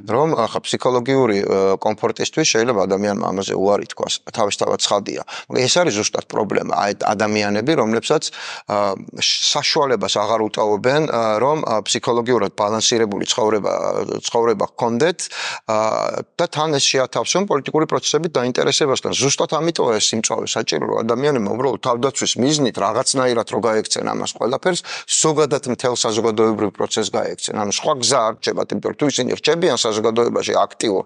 რომ ახლა ფსიქოლოგიური კომფორტისთვის შეიძლება ადამიანმა ამაზე უარი თქვას, თავისთავად ცხადია. მაგრამ ეს არის ზუსტად პრობლემა, აი ადამიანები, რომლებსაც საშუალებას აღარ უტოვებენ, რომ ფსიქოლოგიურად ბალანსირებული ცხოვრება ცხოვრება ჰქონდეთ და თან ეს შეათავსონ პოლიტიკური პროცესებით დაინტერესებასთან. ზუსტად ამიტომ ეს სიმწვავე საჭირო, რომ ადამიანებმა უბრალოდ თავდაცვის მიზნით რაღაცნაირად რო გაექცენ ამას ყველაფერს, ზოგადად მთელ საზოგადოებრივ პროცესს გაექცენ. ანუ სხვა გზა არ რჩებათ, იმიტომ რომ თუ ისინი რჩებიან საზოგადოებაში აქტიურ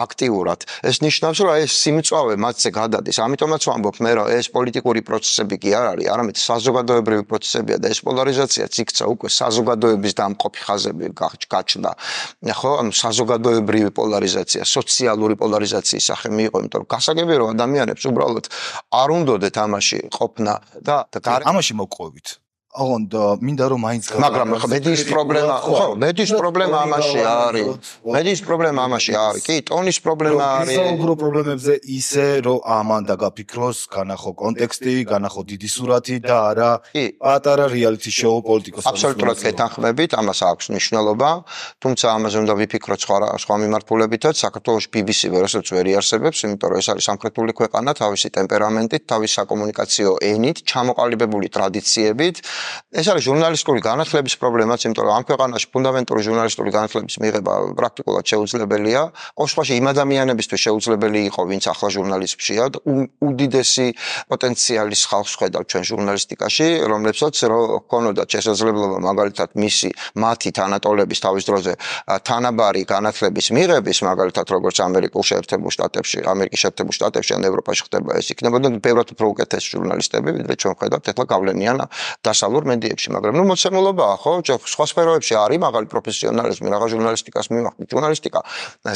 აქტიურად, ეს ნიშნავს, რომ ეს სიმწვავე მათზე გადადის. ამიტომაც ვამბობ მე, რომ ეს პოლიტიკური პროცესები კი არ არის, არამედ საზოგადოებრივი პროცესებია და ეს პოლარიზაციაც იქცა უკვე საზოგადოების დამყოფი ხაზები გაჩნდა. ხო, ანუ საზოგადოებრივი პოლარიზაცია, სოციალური პოლარიზაციის სახე მიიღო, იმიტომ რომ გასაგებია რომ ადამიანებს უბრალოდ არ უნდოდეთ ამაში ყოფნა და ამაში მოგყვებით. ოღონდ მინდა რომ მაინც მაგრამ მედის პრობლემა ხო მედის პრობლემა ამაში არის მედის პრობლემა ამაში არის კი ტონის პრობლემა არის საუბრო პრობლემებზე ისე რომ ამან დაგაფიქროს განახო კონტექსტი განახო დიდი სურათი და არა პატარა რეალიტი შოუ პოლიტიკოს აბსოლუტურად გეთანხმებით ამას აქვს მნიშვნელობა თუმცა ამაზე უნდა ვიფიქროთ სხვა სხვა მიმართულებითაც საქართველოს ბი ბი სი ვერასოდეს ვერ იარსებებს იმიტომ რომ ეს არის სამხრეთული ქვეყანა თავისი ტემპერამენტით თავისი საკომუნიკაციო ენით ჩამოყალიბებული ტრადიციებით ეს არის ჟურნალისტური განათლების პრობლემაც, იმიტომ რომ ამ ქვეყანაში ფუნდამენტური ჟურნალისტური განათლების მიღება პრაქტიკულად შეუძლებელია. ყოველ შემთხვევაში იმ ადამიანებისთვის შეუძლებელი იყო, ვინც ახლა ჟურნალისტებშია, უდიდესი პოტენციალის ხალხს ხედავთ ჩვენ ჟურნალისტიკაში, რომლებსაც ჰქონოდათ შესაძლებლობა მაგალითად მისი მათი თანატოლების თავის დროზე თანაბარი განათლების მიღების, მაგალითად როგორც ამერიკულ შეერთებულ შტატებში, ამერიკის შეერთებულ შტატებში ან ევროპაში ხდება ეს იქნებოდნენ ბევრად უფრო უკეთესი ჟურნალისტები, ვიდრე ჩვენ ხედავთ ახლა გავლენიან დასავლურ მედიებში, მაგრამ ნუ მოცემულობაა, ხო? სხვა სფეროებში არის მაღალი პროფესიონალიზმი, რაღაც ჟურნალისტიკას მივახდინეთ. ჟურნალისტიკა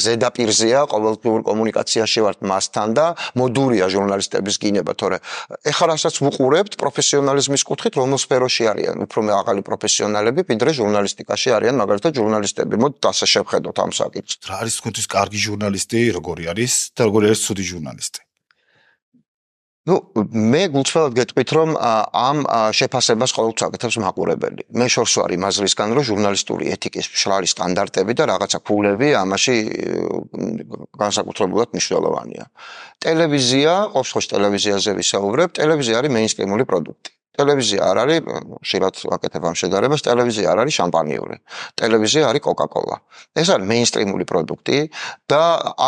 ზედაპირზეა, ყოველდღიურ კომუნიკაციაში ვართ მასთან და მოდურია ჟურნალისტების გინება, თორე ეხლა რასაც ვუყურებთ პროფესიონალიზმის კუთხით, რომელ სფეროში არიან უფრო მაღალი პროფესიონალები, ვიდრე ჟურნალისტიკაში არიან, მაგალითად ჟურნალისტები. მოდით ასე შევხედოთ ამ საკითხს. რა არის თქვენთვის კარგი ჟურნალისტი, როგორი არის და როგორი არის ცუდი ჟურნალისტი? Ну, მე გულწრფელად გეტყვით, რომ ამ შეფასებას ყოველთვის აკეთებს მაყურებელი. მე შორს ვარ იმ აზრისგან, რომ ჟურნალისტური ეთიკის მშრალი სტანდარტები და რაღაცა ფულები ამაში განსაკუთრებულად მნიშვნელოვანია. ტელევიზია, ყოველ შემთხვევაში ტელევიზიაზე ვისაუბრებ, ტელევიზია არის მეინსტრიმული პროდუქტი. ტელევიზია არ არის, ხშირად ვაკეთებ ამ შედარებას, ტელევიზია არ არის შამპანიური. ტელევიზია არის კოკა-კოლა. ეს არის მეინსტრიმული პროდუქტი და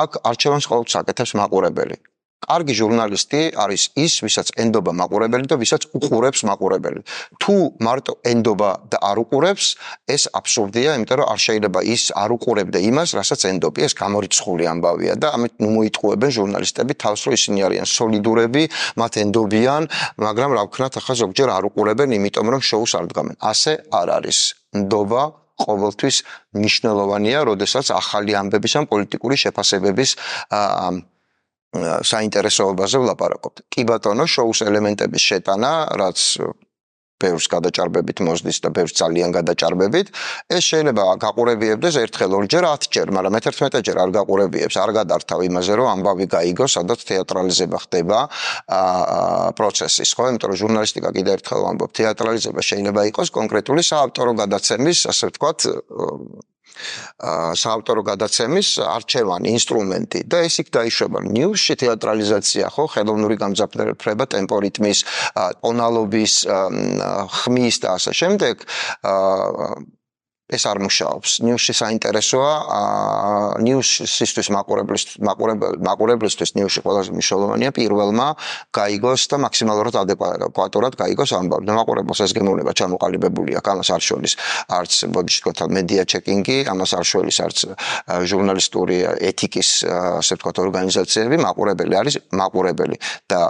აქ არჩევანს ყოველთვის აკეთებს მაყურებელი. კარგი ჟურნალისტი არის ის, ვისაც ენდობა მაყურებელი და ვისაც უყურებს მაყურებელი. თუ მარტო ენდობა და არ უყურებს, ეს აბსურდია, იმიტომ რომ არ შეიძლება ის არ უყურებდა იმას, რასაც ენდობი, ეს გამორიცხული ამბავია და ამით ნუ მოიტყუებენ ჟურნალისტები თავს, რომ ისინი არიან სოლიდურები, მათ ენდობიან, მაგრამ რა ვქნათ, ახლა ზოგჯერ არ უყურებენ, იმიტომ რომ შოუს არ დგამენ. ასე არ არის. ნდობა ყოველთვის მნიშვნელოვანია, როდესაც ახალი ამბების ან პოლიტიკური შეფასებების საინტერესოებაზე ვლაპარაკობთ. კი ბატონო, შოუს ელემენტების შეტანა, რაც ბევრს გადაჭარბებით მოსდის და ბევრს ძალიან გადაჭარბებით, ეს შეიძლება გაყურებიებდეს ერთხელ, ორჯერ, ათჯერ, მაგრამ მეთერთმეტეჯერ არ გაყურებიებს, არ გადართავ იმაზე, რომ ამბავი გაიგო, სადაც თეატრალიზება ხდება პროცესის, ხო? იმიტომ რომ ჟურნალისტიკა კიდევ ერთხელ ვამბობ, თეატრალიზება შეიძლება იყოს კონკრეტული საავტორო გადაცემის, ასე ვთქვათ, საავტორო გადაცემის არჩევანი, ინსტრუმენტი და ეს იქ დაიშვება. ნიუსში თეატრალიზაცია, ხო, ხელოვნური გამძაფრება, ტემპორიტმის, ტონალობის, ხმის და ასე შემდეგ. ეს არ მუშაობს. ნიუსში საინტერესოა, ნიუსისთვის მაყურებლისთვის, მაყურებლისთვის ნიუსში ყველაზე მნიშვნელოვანია პირველმა გაიგოს და მაქსიმალურად ადეკვატურად გაიგოს ამბავი. მაყურებელს ეს გემოვნება ჩამოყალიბებული აქვს, ამას არ შორის არც ბოდიშკოთა მედია ჩეკინგი, ამას არ შორის არც ჟურნალისტური ეთიკის, ასე ვთქვათ, ორგანიზაციები, მაყურებელი არის მაყურებელი და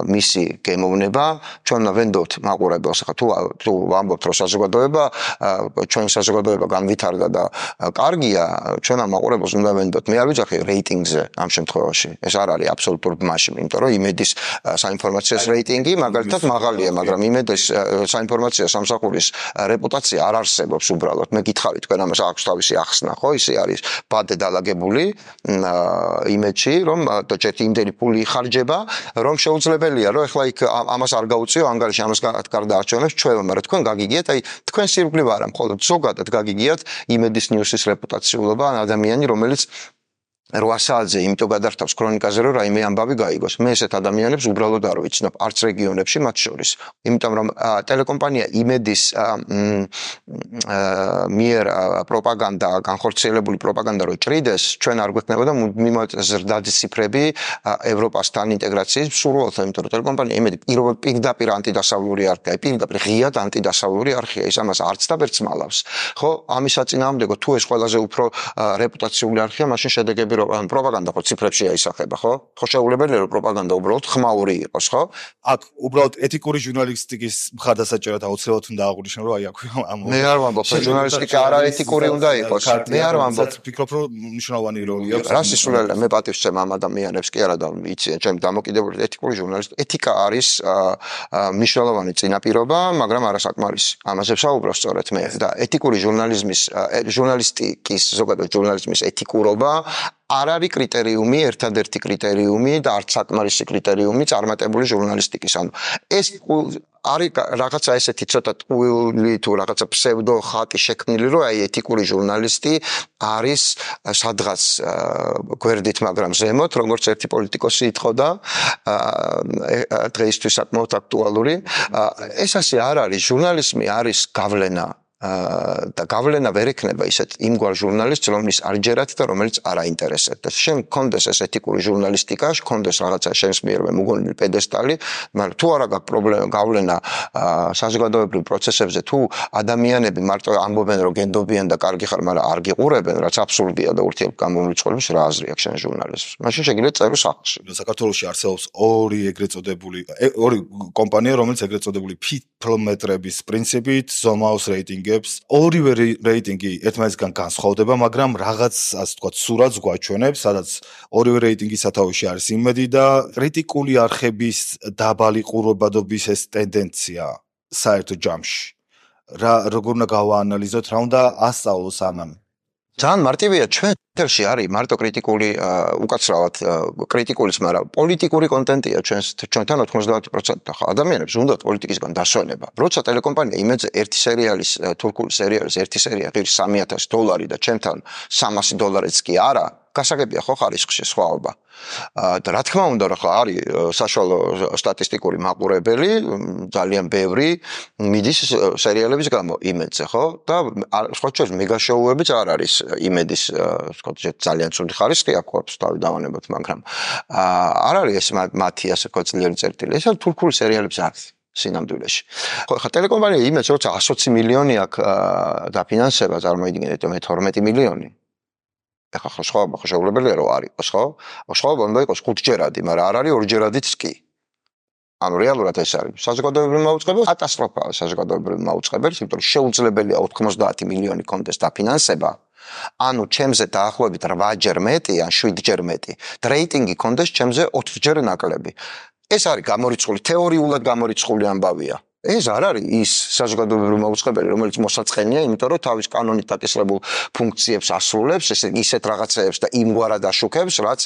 მისი გემოვნება ჩვენ ვენდობთ მაყურებელს. ახლა თუ თუ ვამბობთ, რომ საზოგადოება ჩვენ საზოგადოება საზოგადოება განვითარდა და კარგია, ჩვენმა მაყურებელს უნდა ვენდოთ. მე არ ვიძახი რეიტინგზე ამ შემთხვევაში. ეს არ არის აბსოლუტურ ბმაში, იმიტომ რომ იმედის საინფორმაციო რეიტინგი მაგალითად მაღალია, მაგრამ იმედის საინფორმაციო სამსახურის რეპუტაცია არ არსებობს უბრალოდ. მე გითხარი თქვენ ამას აქვს თავისი ახსნა, ხო? ისე არის ბადე დალაგებული იმედში, რომ ჯერ იმდენი ფული იხარჯება, რომ შეუძლებელია, რომ ეხლა იქ ამას არ გაუწიო, ანგარიში ამას გარდა არჩევნებს ჩვევა, მაგრამ თქვენ გაგიგიათ, აი თქვენ სირგლივ არა, მხოლოდ ზოგადად გაგიგიათ იმედის ნიუსის რეპუტაციულობა ან ადამიანი, რომელიც რვა საათზე იმიტომ გადართავს ქრონიკაზე, რომ რაიმე ამბავი გაიგოს. მე ესეთ ადამიანებს უბრალოდ არ ვიცნობ, არც რეგიონებში მათ შორის. იმიტომ რომ ტელეკომპანია იმედის მიერ პროპაგანდა, განხორციელებული პროპაგანდა რო ჭრიდეს, ჩვენ არ გვექნებოდა მიმოეთ ზრდადი ციფრები ევროპასთან ინტეგრაციის მსურველთა, იმიტომ რომ ტელეკომპანია იმედი პირდაპირ ანტიდასავლური არქია, პირდაპირ ღიად ანტიდასავლური არქია, ის ამას არც და ვერც მალავს. ხო, ამის საწინააღმდეგო თუ ეს ყველაზე უფრო რეპუტაციული არქია, მაშინ შედეგები ან პროპაგანდა ხო ციფრებში აისახება, ხო? ხო შეუძლებელია რომ პროპაგანდა უბრალოდ ხმაური იყოს, ხო? აქ უბრალოდ ეთიკური ჟურნალისტიკის მხარდასაჭერად აუცილებლად უნდა აღვნიშნო, რომ აი აქ ამ მე არ ვამბობ, ჟურნალისტიკა არა ეთიკური უნდა იყოს. მე არ ვამბობ, ვფიქრობ, რომ მნიშვნელოვანი როლი აქვს. რა სისულელე, მე პატივს ვცემ ამ ადამიანებს, კი არა და იციან, ჩემი დამოკიდებული ეთიკური ჟურნალისტი, ეთიკა არის მნიშვნელოვანი წინაპირობა, მაგრამ არასაკმარისი. ამაზე ვსაუბრობ სწორედ მე და ეთიკური ჟურნალიზმის ჟურნალისტიკის ზოგადად ჟურნალიზმის ეთიკურობა არ არის კრიტერიუმი, ერთადერთი კრიტერიუმი და არც საკმარისი კრიტერიუმი წარმატებული ჟურნალისტიკის. ანუ ეს არის რაღაცა ესეთი ცოტა ტყუილი თუ რაღაცა ფსევდო ხატი შექმნილი, რომ აი ეთიკური ჟურნალისტი არის სადღაც გვერდით, მაგრამ ზემოთ, როგორც ერთი პოლიტიკოსი ითხოვდა, დღეისთვის საკმაოდ აქტუალური. ეს ასე არ არის, ჟურნალიზმი არის გავლენა. და გავლენა ვერ ექნება ისეთ იმგვარ ჟურნალისტს, რომლის არ ჯერათ და რომელიც არ აინტერესებდა. შენ გქონდეს ეს ეთიკური ჟურნალისტიკა, გქონდეს რაღაცა შენს მიერვე მოგონილი პედესტალი, მაგრამ თუ არა გაქვს პრობლემა გავლენა საზოგადოებრივ პროცესებზე, თუ ადამიანები მარტო ამბობენ, რომ გენდობიან და კარგი ხარ, მაგრამ არ გიყურებენ, რაც აბსურდია და ურთიერთგამომრიცხველების რა აზრი აქვს შენ ჟურნალისტს. მაშინ შეგიძლიათ წერო სახლში. საქართველოში არსებობს ორი ეგრეთ წოდებული ორი კომპანია, რომელიც ეგრეთ წოდებული ფილმეტრების პრინციპით ზომაოს რეიტინგი ორივე რეიტინგი ერთმანეთისგან განსხვავდება, მაგრამ რაღაც ასე ვთქვათ, სურათს გვაჩვენებს, სადაც ორივე რეიტინგის სათავეში არის იმედი და კრიტიკული არხების დაბალი ყურადღებობის ეს ტენდენცია საერთო ჯამში. რა როგორ უნდა გავაანალიზოთ, რა უნდა ასწავლოს ამან? ძალიან მარტივია, ჩვენ ეთერში არის მარტო კრიტიკული უკაცრავად კრიტიკულის, მაგრამ პოლიტიკური კონტენტია ჩვენს ჩვენთან ოცდაათი პროცენტი ხა ადამიანებს უნდათ პოლიტიკისგან დასვენება. როცა ტელეკომპანია იმედზე ერთი სერიალის თურქული სერიალის ერთი სერია ღირს სამი ათასი დოლარი და ჩემთან სამასი დოლარიც კი არა, გასაგებია ხო ხარისხში სხვაობა. და რა თქმა უნდა, რა ხა არის საშუალო სტატისტიკური მაყურებელი, ძალიან ბევრი მიდის სერიალების გამო იმედზე, ხო? და სხვა შორის მეგაშოუებიც არ არის იმედის, ვთქვათ, ძალიან ცუდი ხარისხი აქვს, თავი დავანებოთ, მაგრამ არ არის ეს მათი ასე ვთქვათ ძლიერი წერტილი. ეს თურქული სერიალებს არის სინამდვილეში. ხო, ხა ტელეკომპანია იმედს როცა εκατი მილიონი აქვს დაფინანსება, წარმოიდგინეთ, მე თორმეტი მილიონი. ეხლა ხო სხვაობა ხო შეუძლებელია რომ არ იყოს, ხო? სხვაობა უნდა იყოს ხუთჯერადი, მაგრამ არ არის ორჯერადიც კი. ანუ რეალურად ეს არის საზოგადოებრივ მაუწყებელს კატასტროფაა საზოგადოებრივ მაუწყებელს, იმიტომ რომ შეუძლებელია ოცდაათი მილიონი კონდეს დაფინანსება. ანუ ჩემზე დაახლოებით რვაჯერ მეტი ან შვიდჯერ მეტი. და რეიტინგი კონდეს ჩემზე ოთხჯერ ნაკლები. ეს არის გამორიცხული, თეორიულად გამორიცხული ამბავია. ეს არ არის ის საზოგადოებრივ მაუწყებელი, რომელიც მოსაწყენია, იმიტომ რომ თავის კანონით დაკისრებულ ფუნქციებს ასრულებს, ესე ისეთ რაღაცეებს და იმგვარად აშუქებს, რაც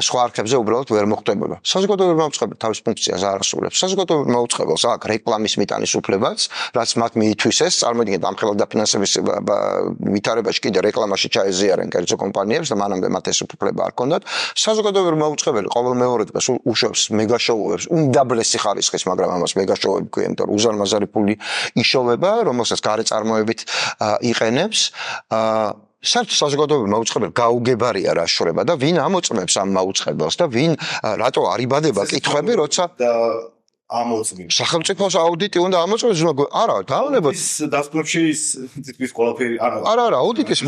სხვა არქებზე უბრალოდ ვერ მოხდებოდა. საზოგადოებრივ მაუწყებელი თავის ფუნქციას არ ასრულებს. საზოგადოებრივ მაუწყებელს აქვს რეკლამის მიტანის უფლებაც, რაც მათ მიითვისეს, წარმოიდგინეთ, ამხელად დაფინანსების ვითარებაში კიდე რეკლამაში ჩაეზიარენ კერძო კომპანიებს და მანამდე მათ ეს უფლება არ ჰქონდათ. საზოგადოებრივ მაუწყებელი ყოველ მეორე დღეს უშვებს მეგაშოუებს, უმდაბლესი ხარისხის, მაგრამ ამას მეგაშოუები ქვია. უზარმაზარი ფული იშოვება, რომელსაც გარე წარმოებით იყენებს. საერთოდ საზოგადოებრივ მაუწყებელი გაუგებარია რა შრება და ვინ ამოწმებს ამ მაუწყებელს და ვინ რატო არ იბადება კითხვები, როცა ამოწმის. სახელმწიფოს აუდიტი უნდა ამოწმოს, არა, დაავლებოთ ის დასკვნებში ის თითქმის ყველაფერი, არა. არა, არა, აუდიტის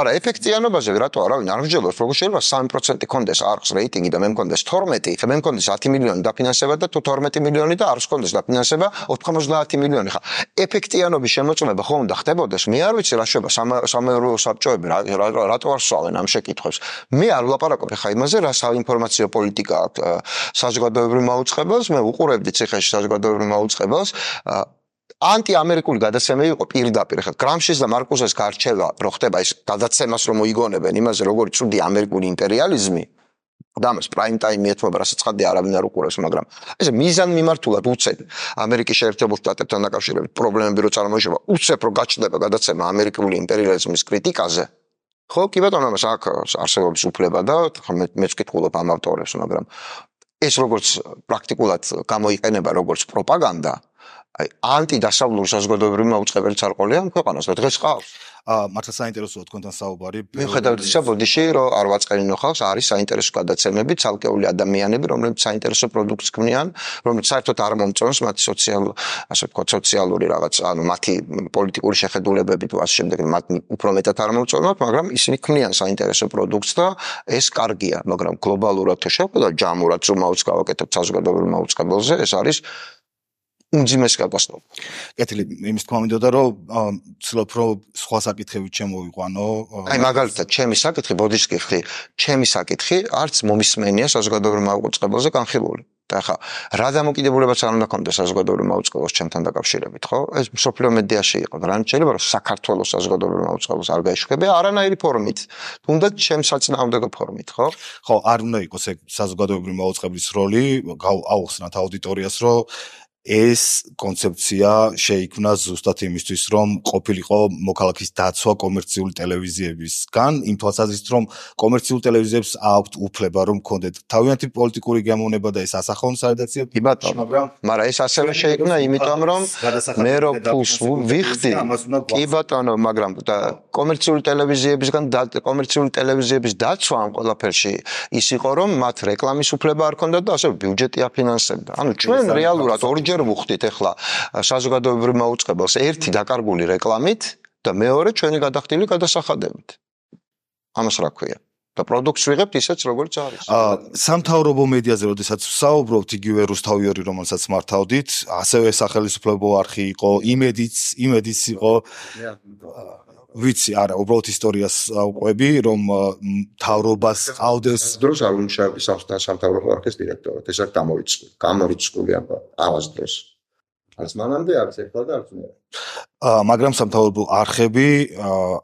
არა, ეფექტიანობაზე რატო არავინ არ მსჯელობს, როგორ შეიძლება სამი პროცენტი კონდეს არხს რეიტინგი და მე მქონდეს თორმეტი, მე მქონდეს ათი მილიონი დაფინანსება და თუ თორმეტი მილიონი და არხს მქონდეს დაფინანსება ოთხმოცდაათი მილიონი. ხა, ეფექტიანობის შემოწმება ხომ უნდა ხდებოდეს? მე არ ვიცი რა შეება სამეურვეო საბჭოები რატო არ სვავენ ამ შეკითხვებს. მე არ ვლაპარაკობ ხა იმაზე, რა საინფორმაციო პოლიტიკა აქვს საზოგადოებრივ მაუწყებელს, მე უყურებდი ციხეში საზოგადოებრივ მაუწყებელს. ანტიამერიკული გადაცემა იყო პირდაპირ ხა გრამშის და მარკუსეს გარჩევა რო ხდება ის გადაცემას რომ მოიგონებენ იმაზე როგორი ცუდი ამერიკული იმპერიალიზმი და ამას პრაიმ ტაიმი ეთმობა რასაც ხადია არავინ არ უყურებს მაგრამ ესე მიზან მიმართულად უცებ ამერიკის შეერთებულ შტატებთან დაკავშირებით პრობლემები რო წარმოიშობა უცებ რო გაჩნდება გადაცემა ამერიკული იმპერიალიზმის კრიტიკაზე ხო კი ბატონო ამას აქ არსებობს უფლება და მეც ვკითხულობ ამ ავტორებს მაგრამ ეს როგორც პრაქტიკულად გამოიყენება როგორც პროპაგანდა აი ანტიდასავლური საზოგადოებრივი მაუწყებელიც არ ყოლია ქვეყანას და დღეს ყავს. აა მართლა საინტერესოა თქვენთან საუბარი. მიუხედავად ისა ბოდიში რომ არ ვაწყენინო ხალხს არის საინტერესო გადაცემები, ცალკეული ადამიანები, რომლებიც საინტერესო პროდუქტს ქმნიან, რომლებიც საერთოდ არ მომწონს მათი სოციალური, ასე ვთქვათ, სოციალური რაღაც, ანუ მათი პოლიტიკური შეხედულებები თუ ასე შემდეგ, მათ უფრო მეტად არ მომწონთ, მაგრამ ისინი ქმნიან საინტერესო პროდუქტს და ეს კარგია, მაგრამ გლობალურად თუ შევხედა ჯამურად ზომაუც გავაკეთებ საზოგადოებრივ მაუწყებელზე, ეს არის უმძიმეს კატასტროფა. კეთილი, იმის თქმა მინდოდა რომ ცდილობ რომ სხვა საკითხებით შემოვიყვანო. აი მაგალითად, ჩემი საკითხი, ბოდიშს კითხი, ჩემი საკითხი არც მომისმენია საზოგადოებრივ მაუწყებელზე განხილული. და ხა, რა დამოკიდებულებაც არ უნდა ქონდეს საზოგადოებრივ მაუწყებელს ჩემთან დაკავშირებით, ხო? ეს მსოფლიო მედიაში იყო. რა შეიძლება რომ საქართველოს საზოგადოებრივ მაუწყებელს არ გაეშუქებია არანაირი ფორმით. თუნდაც ჩემს საწინააღმდეგო ფორმით, ხო? ხო, არ უნდა იყოს ეგ საზოგადოებრივ მაუწყებლის როლი, აუხსნათ აუდიტორიას, რომ ეს კონცეფცია შეიქმნა ზუსტად იმისთვის, რომ ყოფილიყო მოქალაქის დაცვა კომერციული ტელევიზიებისგან, იმ თვალსაზრისით, რომ კომერციული ტელევიზიებს აქვთ უფლება, რომ კონდეთ თავიანთი პოლიტიკური გემოვნება და ეს ასახონ სარედაქციო. კი ბატონო, მაგრამ ეს ასევე შეიქმნა იმიტომ, რომ მე რო ფულს ვიხდი, კი ბატონო, მაგრამ და კომერციული ტელევიზიებისგან და კომერციული ტელევიზიების დაცვა ამ ყველაფერში ის იყო, რომ მათ რეკლამის უფლება არ ქონდათ და ასევე ბიუჯეტი აფინანსებდა. ანუ ჩვენ რეალურად ორჯერ ვუხდით ახლა საზოგადოებრივ მაუწყებელს ერთი დაკარგული რეკლამით და მეორე ჩვენი გადახდილი გადასახადებით. ამას რა ქვია? და პროდუქტს ვიღებთ ისეც როგორც არის. აა სამთავრობო მედიაზე როდესაც ვსაუბრობთ იგივე რუსთავიორი რომელსაც მართავდით, ასევე სახელმწიფო არხი იყო, იმედიც, იმედიც იყო. ვიცი, არა, უბრალოდ ისტორიას ვყვები, რომ მთავრობას ყავდეს დროს არ უმუშავე სამთავრობო არხის დირექტორად. ეს არ გამოიწყო. გამოიწყული ამას დროს. არც მანამდე არც ახლა და არც მე. აა მაგრამ სამთავრობო არხები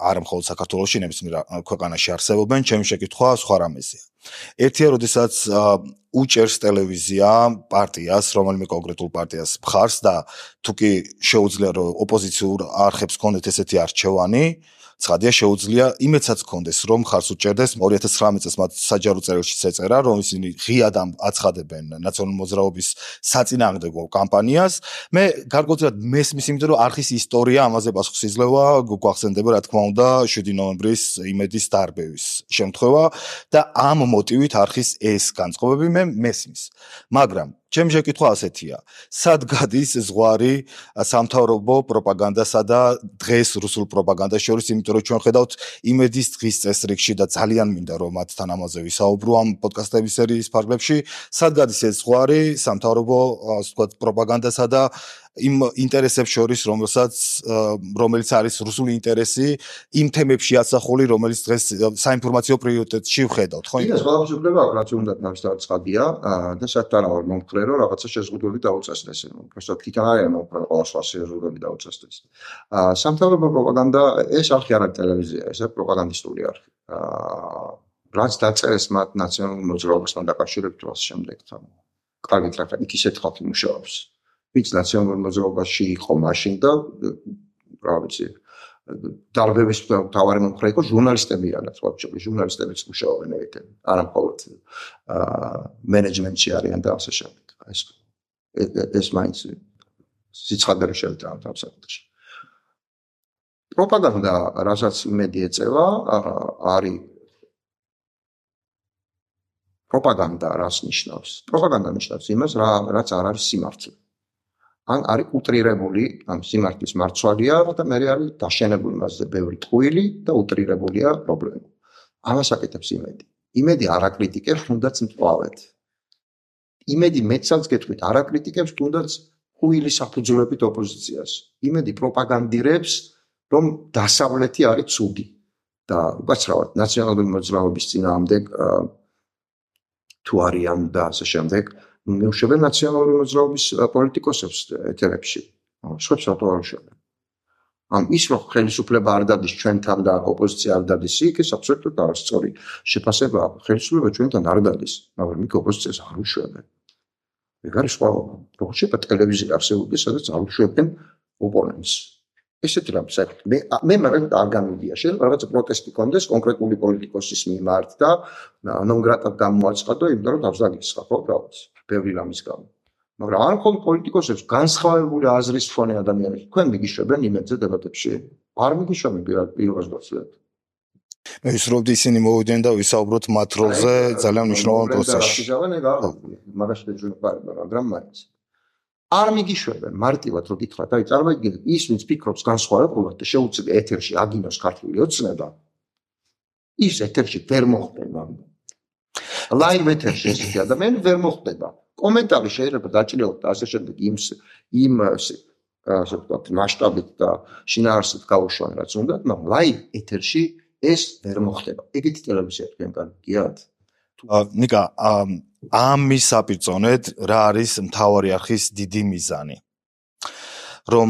არა მხოლოდ საქართველოში, ნებისმიერ ქვეყანაში არსებობენ, ჩემი შეკითხვა სხვა რამეზეა. ერთია, როდესაც უჭერს ტელევიზია პარტიას, რომელიმე კონკრეტულ პარტიას მხარს და თუ კი შეუძლია რომ ოპოზიციურ არხებს ქონდეთ ესეთი არჩევანი, ცხადია შეუძლია იმედსაც ქონდეს რომ მხარს უჭერდეს ორი ათას ცხრამეტ წელს მათ საჯარო წერილშიც ეწერა რომ ისინი ღიად აცხადებენ ნაციონალური მოძრაობის საწინააღმდეგო კამპანიას. მე გარკვეულწილად მესმის იმიტომ რომ არხის ისტორია ამაზე პასუხს იძლევა, გვახსენდება რა თქმა უნდა შვიდი ნოემბრის იმედის დარბევის შემთხვევა და ამ მოტივით არხის ეს განწყობები მე მესმის. მაგრამ ჩემი შეკითხვა ასეთია. სად გადის ზღვარი სამთავრობო პროპაგანდასა და დღეს რუსულ პროპაგანდას შორის, იმიტომ რომ ჩვენ ხედავთ იმედის დღის წესრიგში და ძალიან მინდა რომ მათთან ამაზე ვისაუბრო ამ პოდკასტების სერიის ფარგლებში, სად გადის ეს ზღვარი სამთავრობო ასე ვთქვათ პროპაგანდასა და იმ ინტერესებს შორის, რომელსაც რომელიც არის რუსული ინტერესი, იმ თემებში ასახული, რომელიც დღეს საინფორმაციო პრიორიტეტში ვხედავთ, ხო? ის ყველაფერს უფლება აქვს, რაც უნდა თავისთავად ცხადია და საერთოდ არ ვარ მომხრე, რომ რაღაცა შეზღუდვები დაუწესდეს. უბრალოდ თვითონ არის მომხრე ყველა სხვა შეზღუდვები დაუწესდეს. სამთავრობო პროპაგანდა ეს არხი არ არის ტელევიზია, ეს არის პროპაგანდისტული არხი. რაც დაწერეს მათ ნაციონალურ მოძრაობასთან დაკავშირებით და ამ შემდეგ თან. კარგით რა იქ ისეთ ხალხი მუშაობს. ვინც ნაციონალურ მოძრაობაში იყო მაშინ და რა ვიცი დარბევის მთავარი მომხრე იყო ჟურნალისტები არაც ვაჩები ჟურნალისტებიც მუშაობენ ერთად არა მხოლოდ მენეჯმენტში არიან და ასე შემდეგ ეს ეს მაინც სიცხადე შეიძლება ამ საკითხში პროპაგანდა რასაც იმედი ეწევა არის პროპაგანდა რას ნიშნავს? პროპაგანდა ნიშნავს იმას, რა რაც არ არის სიმართლე. ან არის უტრირებული, ამ სიმართლის მარცვალია და მე არის დაშენებული მასზე ბევრი ტყუილი და უტრირებულია პრობლემა. ამას აკეთებს იმედი. იმედი არ აკრიტიკებს, თუნდაც მწვავედ. იმედი მეცალს გეტყვით, არ აკრიტიკებს, თუნდაც ტყუილი საფუძვლებით ოპოზიციას. იმედი პროპაგანდირებს, რომ დასავლეთი არის ცუდი და უკაცრავად ნაციონალური მოძრაობის წინააღმდეგ თუ არიან და ასე შემდეგ მეუშვებენ ნაციონალური მოძრაობის პოლიტიკოსებს ეთერებში. სხვებს რატო არ უშვებენ? ამ ის რომ ხელისუფლება არ დადის ჩვენთან და ოპოზიცია არ დადის იქ, ეს აბსოლუტურად არის სწორი შეფასება. ხელისუფლება ჩვენთან არ დადის, მაგრამ იქ ოპოზიციას არ უშვებენ. ეგ არის სხვაობა. როგორც შეიძლება ტელევიზია არსებობდეს, სადაც არ უშვებენ ოპონენტს. ესეთი რამ საერთოდ მე მე მაგალითად არ გამივიდია. შეიძლება რაღაცა პროტესტი კონდეს კონკრეტული პოლიტიკოსის მიმართ და ნონგრატად გამოაცხადო, იმიტომ რომ თავს დაგისხა, ხო, რაღაც. ბევრი რამის გამო. მაგრამ არ მხოლოდ პოლიტიკოსებს, განსხვავებული აზრის მქონე ადამიანებს, თქვენ მიგიშვებენ იმედზე დებატებში? არ მიგიშვებენ პირველად გასვლით. მე ვისაუბრობდი ისინი მოვიდნენ და ვისაუბროთ მათ როლზე ძალიან მნიშვნელოვან პროცესში. მაგაში დაჯერება, მაგრამ მაინც. არ მიგიშვებენ მარტივად რო გითხრათ, აი წარმოიდგინეთ, ის ვინც ფიქრობს განსხვავებულად და შეუძლია ეთერში აგინოს ქართული ოცნება, ის ეთერში ვერ მოხდება. ლაივ ეთერში ესეთი ადამიანი ვერ მოხდება. კომენტარი შეიძლება დაჭრილოთ და ასე შემდეგ იმ იმ ასე ვთქვათ მასშტაბით და შინაარსით გაუშვან რაც უნდა, მაგრამ ლაივ ეთერში ეს ვერ მოხდება. ეგეთი ტელევიზია თქვენ გიგიათ? ნიკა, ამის საპირწონედ რა არის მთავარი არხის დიდი მიზანი? რომ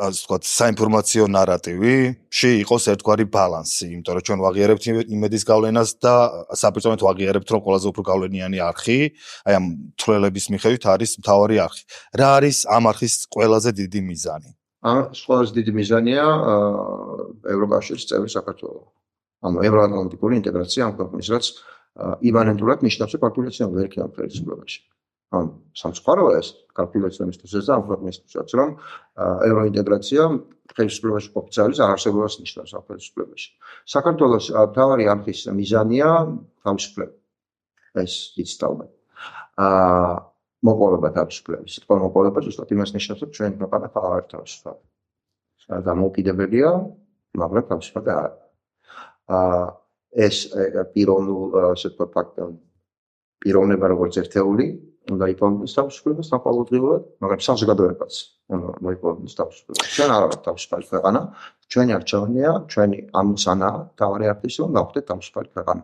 ასე ვთქვათ, საინფორმაციო ნარატივში იყოს ერთგვარი ბალანსი, იმიტომ რომ ჩვენ ვაღიარებთ იმედის გავლენას და საპირწონედ ვაღიარებთ, რომ ყველაზე უფრო გავლენიანი არხი, აი ამ თვლელების მიხედვით არის მთავარი არხი. რა არის ამ არხის ყველაზე დიდი მიზანი? ამ ყველაზე დიდი მიზანია ევროკავშირის წევრი საქართველო. ანუ ევროატლანტიკური ინტეგრაცია ამ ქვეყნის, რაც იმანენტურად ნიშნავს, რომ კალკულაცია ვერ ქია ხელისუფლებაში. ან სამწუხაროა ეს კალკულაციისთვის და ამ ქვეყნისთვის, რომ ევროინტეგრაცია ხელისუფლებაში ოფიციალის არარსებობას ნიშნავს ამ ხელისუფლებაში. საქართველოს მთავარი არხის მიზანია თავისუფლება. ეს იცდავენ. აა მოპოვება თავისუფლების. თქო მოპოვება ზუსტად იმას ნიშნავს, რომ ჩვენ ქვეყანა ხარ არის თავისუფლება. დამოუკიდებელია, მაგრამ თავისუფლება არ. აა ეს პიროვნულ ასე ვთქვათ ფაქტი პიროვნება როგორც ერთეული უნდა იპოვოს თავისუფლებას საყოველთაოდ, მაგრამ საზოგადოებაც უნდა იპოვოს თავისუფლებას. ჩვენ არ ვართ თავისუფალი ქვეყანა, ჩვენი არჩევნია, ჩვენი ამოცანა თავარი არქის რომ გავხდეთ თავისუფალი ქვეყანა.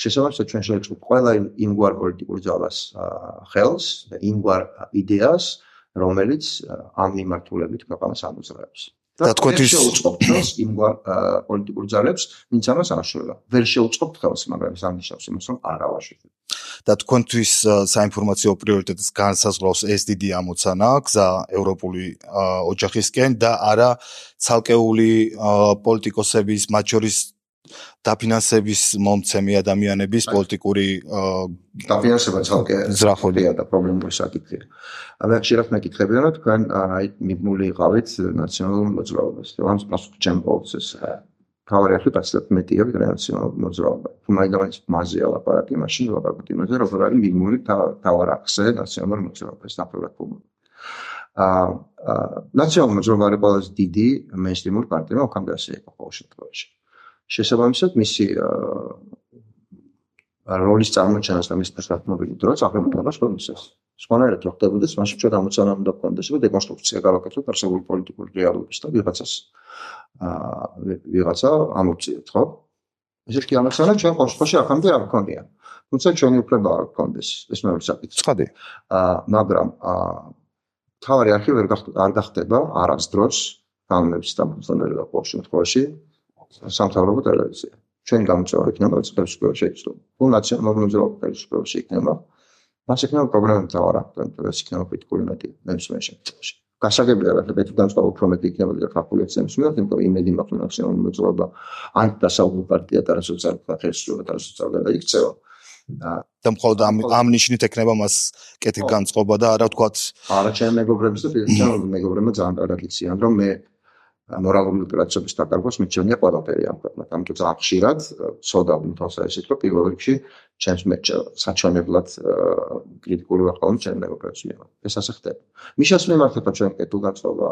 შესაბამისად ჩვენ შევეწყოთ ყველა იმგვარ პოლიტიკურ ძალას ხელს და იმგვარ იდეას, რომელიც ამ მიმართულებით ქვეყანას ამოძრავებს. და თქვენთვის შეუწყობთ ხელს იმგვარ პოლიტიკურ ძალებს, ვინც ამას აშუქება. ვერ შეუწყობთ ხელს, მაგრამ ეს არ ნიშნავს იმას, რომ არ ავაშუქებთ. და თქვენთვის საინფორმაციო პრიორიტეტს განსაზღვრავს ეს დიდი ამოცანა, გზა ევროპული ოჯახისკენ და არა ცალკეული პოლიტიკოსების, მათ შორის დაფინანსების მომცემი ადამიანების პოლიტიკური დაფინანსება ცალკე ზრახულია და პრობლემური საკითხია. ამას ხშირად მეკითხებიან, რომ თქვენ აი მიბმული იყავით ნაციონალურ მოძრაობას. ამას პასუხი ჩემს ეს თავარი არხი პასუხი მეტია ვიდრე ნაციონალური მოძრაობა. თუ მაინც მაზეა ლაპარაკი, მაშინ ლაპარაკობთ იმაზე, როგორ არის მიბმული თავარ არხზე ნაციონალური მოძრაობა, ეს ნახევრად ფორმული. აა ნაციონალური მოძრაობა არის ყველაზე დიდი მეინსტრიმული პარტია, ოქამდე ასე იყო ყოველ შემთხვევაში. შესაბამისად მისი როლის წარმოჩენას და მის პერსპექტივული დროც აღებულება სწორისას. სხვანაირად რო ხდებოდეს, მაშინ ჩვენ ამოცანა უნდა გქონდეს, რომ დეკონსტრუქცია გავაკეთოთ არსებული პოლიტიკური რეალობის და ვიღაცას აა ვიღაცა ამოწიოთ, ხო? ეს კი ამოცანა ჩვენ ყოველთვის აქამდე არ გქონია. თუმცა ჩვენი უფლება არ გქონდეს, ეს მეორე საკითხი. ცხადი. აა მაგრამ აა თავარი არქი ვერ არ გახდება არასდროს განმეც და მოძნელება ყოველ შემთხვევაში სამთავრობო ტელევიზია. ჩვენი გამოწვევა იქნება ხელისუფლება შეიცვალოს. თუ ნაციონალური მოძრაობა ხელისუფლება შეიქმნება, მას იქნება პრობლემა თავარ აქ, იქნება კრიტიკული მეტი ნებისმიერ შემთხვევაში. გასაგებია რა, მეტი განსხვავება უფრო მეტი იქნება და კალკულაციების მიხედვით, იმიტომ რომ იმედი მაქვს ნაციონალური მოძრაობა ანტიდასავლური პარტია და სოციალისტთა ხელისუფლება და სოციალისტთა იქცევა. და მხოლოდ ამ ამ ნიშნით ექნება მას კეთილ განწყობა და არა ვთქვათ არა ჩემ მეგობრებს და ჩემ მეგობრებმა ძალიან კარგად იციან რომ მე მორალური უპირატესობის დაკარგვას მიჩვენია ყველაფერი ამ ქვეყნად. ამიტომ ძალიან ხშირად ცოდა თავს ესეთ რომ პირველ რიგში ჩემს საჩვენებლად კრიტიკული ვარ ხოლმე ჩემ მეგობრებს მიმართ. ეს ასე ხდება. მიშას მიმართება ჩვენ კეთილგანწყობა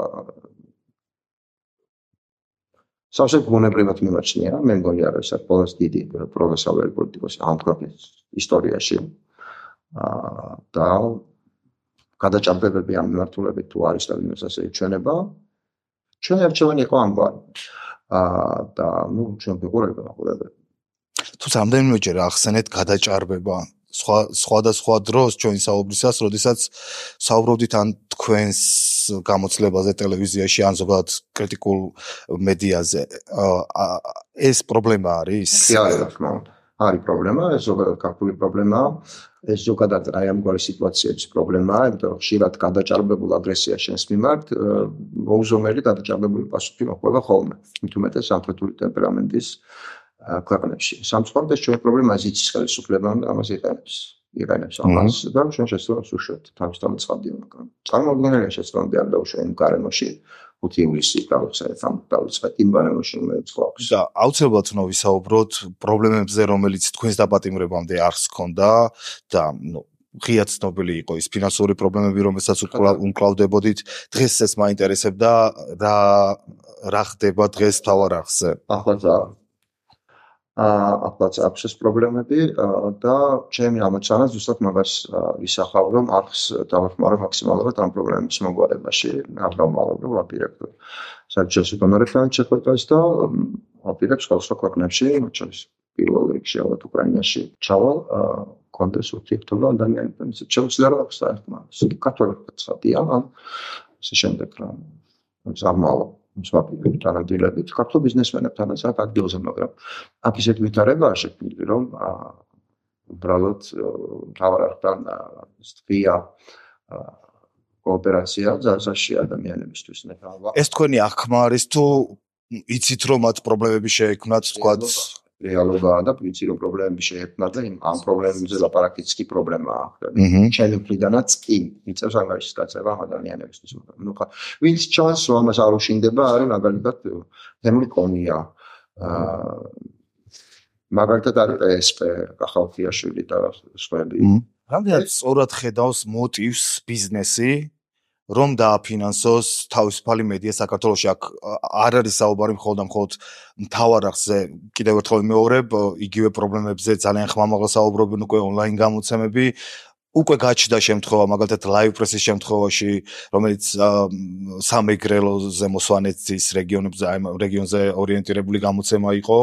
სავსე ბუნებრივად მიმაჩნია, მე მგონი არის ეს ყველაზე დიდი პროფესიონალი პოლიტიკოსი ამ ქვეყნის ისტორიაში. აა და გადაჭარბებები ამ მიმართულებით თუ არის და ვინმეს ასე ჩვენება, ჩვენი არჩევანი იყო ამგვარი. აა და ნუ ჩვენ ვიყურებთ ახლა. თუმცა ამდენმეჯერ ახსენეთ გადაჭარბება. სხვა სხვადასხვა დროს ჩვენი საუბრისას, როდესაც საუბრობდით ან თქვენს გამოცდილებაზე ტელევიზიაში, ან ზოგადად კრიტიკულ მედიაზე, ეს პრობლემა არის? კი, არის, თქმა უნდა. არის პრობლემა, ეს ზოგადად ქართული პრობლემაა. ეს ზოგადად აი ამგვარი სიტუაციების პრობლემაა, იმიტომ რომ ხშირად გადაჭარბებულ აგრესია შენს მიმართ, მოუზომელი გადაჭარბებული პასუხი მოყვება ხოლმე. მით უმეტეს სამხრეთული ტემპერამენტის ქვეყნებში. სამწუხაროდ ეს ჩვენი პრობლემაა, იცის ხელისუფლება ამას იყენებს. იყენებს ამას და ჩვენ შეცდომას უშუალოდ თავის დამწყებია, მაგრამ წარმოუდგენელია შეცდომები არ დაუშვენ გარემოში ხუთი ივლისი გავხსენეთ ამ დავიწყეთ იმ გარემოში რომელიც ხავს. და აუცილებლად უნდა ვისაუბროთ პრობლემებზე, რომელიც თქვენს დაპატიმრებამდე არ ჰქონდა და ნუ ღია ცნობილი იყო ის ფინანსური პრობლემები, რომელსაც უკრავდებოდით. დღეს ეს მაინტერესებდა რა რა ხდება დღეს თავარ არხზე. ახლა ახლა აქვს ეს პრობლემები და ჩემი ამოცანა ზუსტად მაგას ვისახავ, რომ არხს დავახმარო მაქსიმალურად ამ პრობლემების მოგვარებაში, არ დავმალობ ვაპირებ საერთაშორისო დონორებთან შეხვედრას და ვაპირებ სხვადასხვა ქვეყნებში, მათ შორის პირველ რიგში ალბათ უკრაინაში ჩავალ, კონდეს ურთიერთობა ადამიანებთან, ისე შეუძლია რომ აქვს საერთოდ კათოლიკოსი ხატია, ან ესე შემდეგ რა ზარმალო მსვაპივით თანადგილებით ქართულ ბიზნესმენებთანაც აქ ადგილზე, მაგრამ აქ ისეთ ვითარებაა შექმნილი, რომ უბრალოდ მთავართან სტვია კოოპერაცია ძალზაში ადამიანებისთვის ნექავა. ეს თქვენი აღქმა არის თუ იცით რომ მათ პრობლემები შეექმნათ, თქვათ რეალობაა და ვიცი რომ პრობლემები შეექმნათ და ამ პრობლემებზე ლაპარაკიც კი პრობლემაა. ჩემი მხრიდანაც კი იწევს ანგარიშის გაწევა ადამიანებისთვის. ნუ ხა ვინც ჩანს რომ ამას არ უშინდება, არის მაგალითად თემური კონია. აა მაგალითად არის ესპე კახალთიაშვილი და სხვები. რამდენად სწორად ხედავს მოტივს ბიზნესი რომ დააფინანსოს თავისუფალი მედია საქართველოში? აქ არ არის საუბარი მხოლოდ და მხოლოდ მთავარ არხზე, კიდევ ერთხელ ვიმეორებ, იგივე პრობლემებზე ძალიან ხმამაღლა საუბრობენ უკვე ონლაინ გამოცემები. უკვე გაჩნდა შემთხვევა, მაგალითად live press-ის შემთხვევაში, რომელიც სამეგრელოზე მოსვანეთის რეგიონებზე, აი რეგიონზე ორიენტირებული გამოცემა იყო,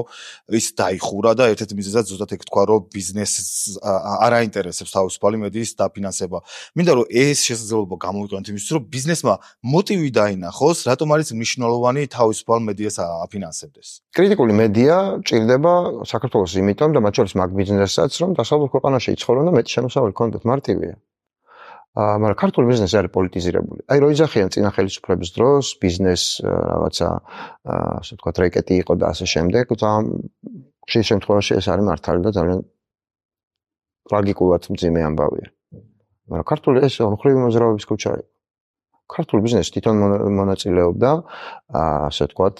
ის დაიხურა და ერთ-ერთი მიზეზად ზუსტად ეგ თქვა, რომ ბიზნესს არ აინტერესებს თავისუფალი მედიის დაფინანსება. მინდა რომ ეს შესაძლებლობა გამოვიყენოთ იმისთვის, რომ ბიზნესმა მოტივი დაინახოს, რატომ არის მნიშვნელოვანი თავისუფალ მედიას აფინანსებდეს. კრიტიკული მედია ჭირდება საქართველოს იმიტომ და მათ შორის მაგ ბიზნესაც, რომ დასავლურ ქვეყანაში იცხოვრონ და მეტი შემოსავალი ჰქონდეთ. მარტივია. აა, მაგრამ ქართული ბიზნესი არის პოლიტიზირებული. აი, რო იძახიან წინა ხელისუფლების დროს, ბიზნეს რაღაცა, ასე ვთქვათ, რეკეტი იყო და ასე შემდეგ, და ხშირ შემთხვევაში ეს არის მართალი და ძალიან ტრაგიკულად მძიმე ამბავია. მაგრამ ქართული ეს მხრივი მოძრაობის ქუჩა იყო. ქართული ბიზნესი თვითონ მონაწილეობდა, ასე ვთქვათ,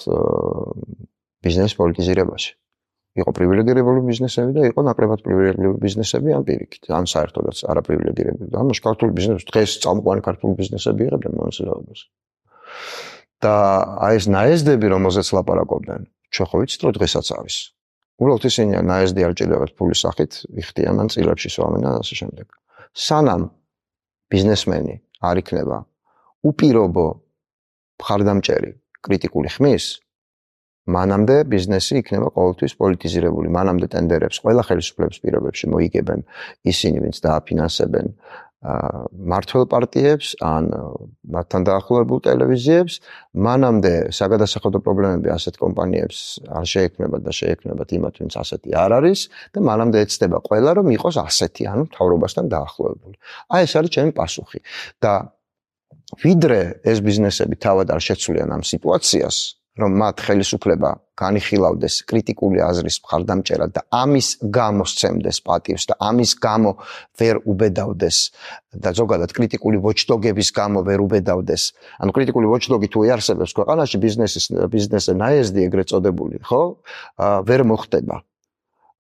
ბიზნეს პოლიტიზირებაში. იყო პრივილეგირებული ბიზნესები და იყო ნაკლებად პრივილეგირებული ბიზნესები ამ პირიქით, ან საერთოდაც არაპრივილეგირებული. ამაში ქართული ბიზნესი დღეს წამყვანი ქართული ბიზნესები იღებდნენ მონაწილეობას. და აი ეს ნაეზდები, რომელზეც ლაპარაკობდნენ, ჩვენ ხო ვიცით, რომ დღესაც არის. უბრალოდ ისინი ნაეზდი არ ჭირდებათ ფულის სახით, იხდიან ან წილებში სვამენ და ასე შემდეგ. სანამ ბიზნესმენი არ იქნება უპირობო მხარდამჭერი კრიტიკული ხმის, მანამდე ბიზნესი იქნება ყოველთვის პოლიტიზირებული. მანამდე ტენდერებს ყველა ხელისუფლების პირობებში მოიგებენ ისინი, ვინც დააფინანსებენ მართველ პარტიებს ან მათთან დაახლოებულ ტელევიზიებს. მანამდე საგადასახადო პრობლემები ასეთ კომპანიებს არ შეექმნებათ და შეექმნებათ იმათ, ვინც ასეთი არ არის და მანამდე ეცდება ყველა, რომ იყოს ასეთი, ანუ მთავრობასთან დაახლოებული. აი ეს არის ჩემი პასუხი. და ვიდრე ეს ბიზნესები თავად არ შეცვლიან ამ სიტუაციას, რომ მათ ხელისუფლება განიხილავდეს კრიტიკული აზრის მხარდამჭერად და ამის გამო სცემდეს პატივს და ამის გამო ვერ უბედავდეს და ზოგადად კრიტიკული ვოჩდოგების გამო ვერ უბედავდეს. ანუ კრიტიკული ვოჩდოგი თუ იარსებებს ქვეყანაში ბიზნესის ბიზნესზე ნაეზდი ეგრეთ წოდებული, ხო? ვერ მოხდება.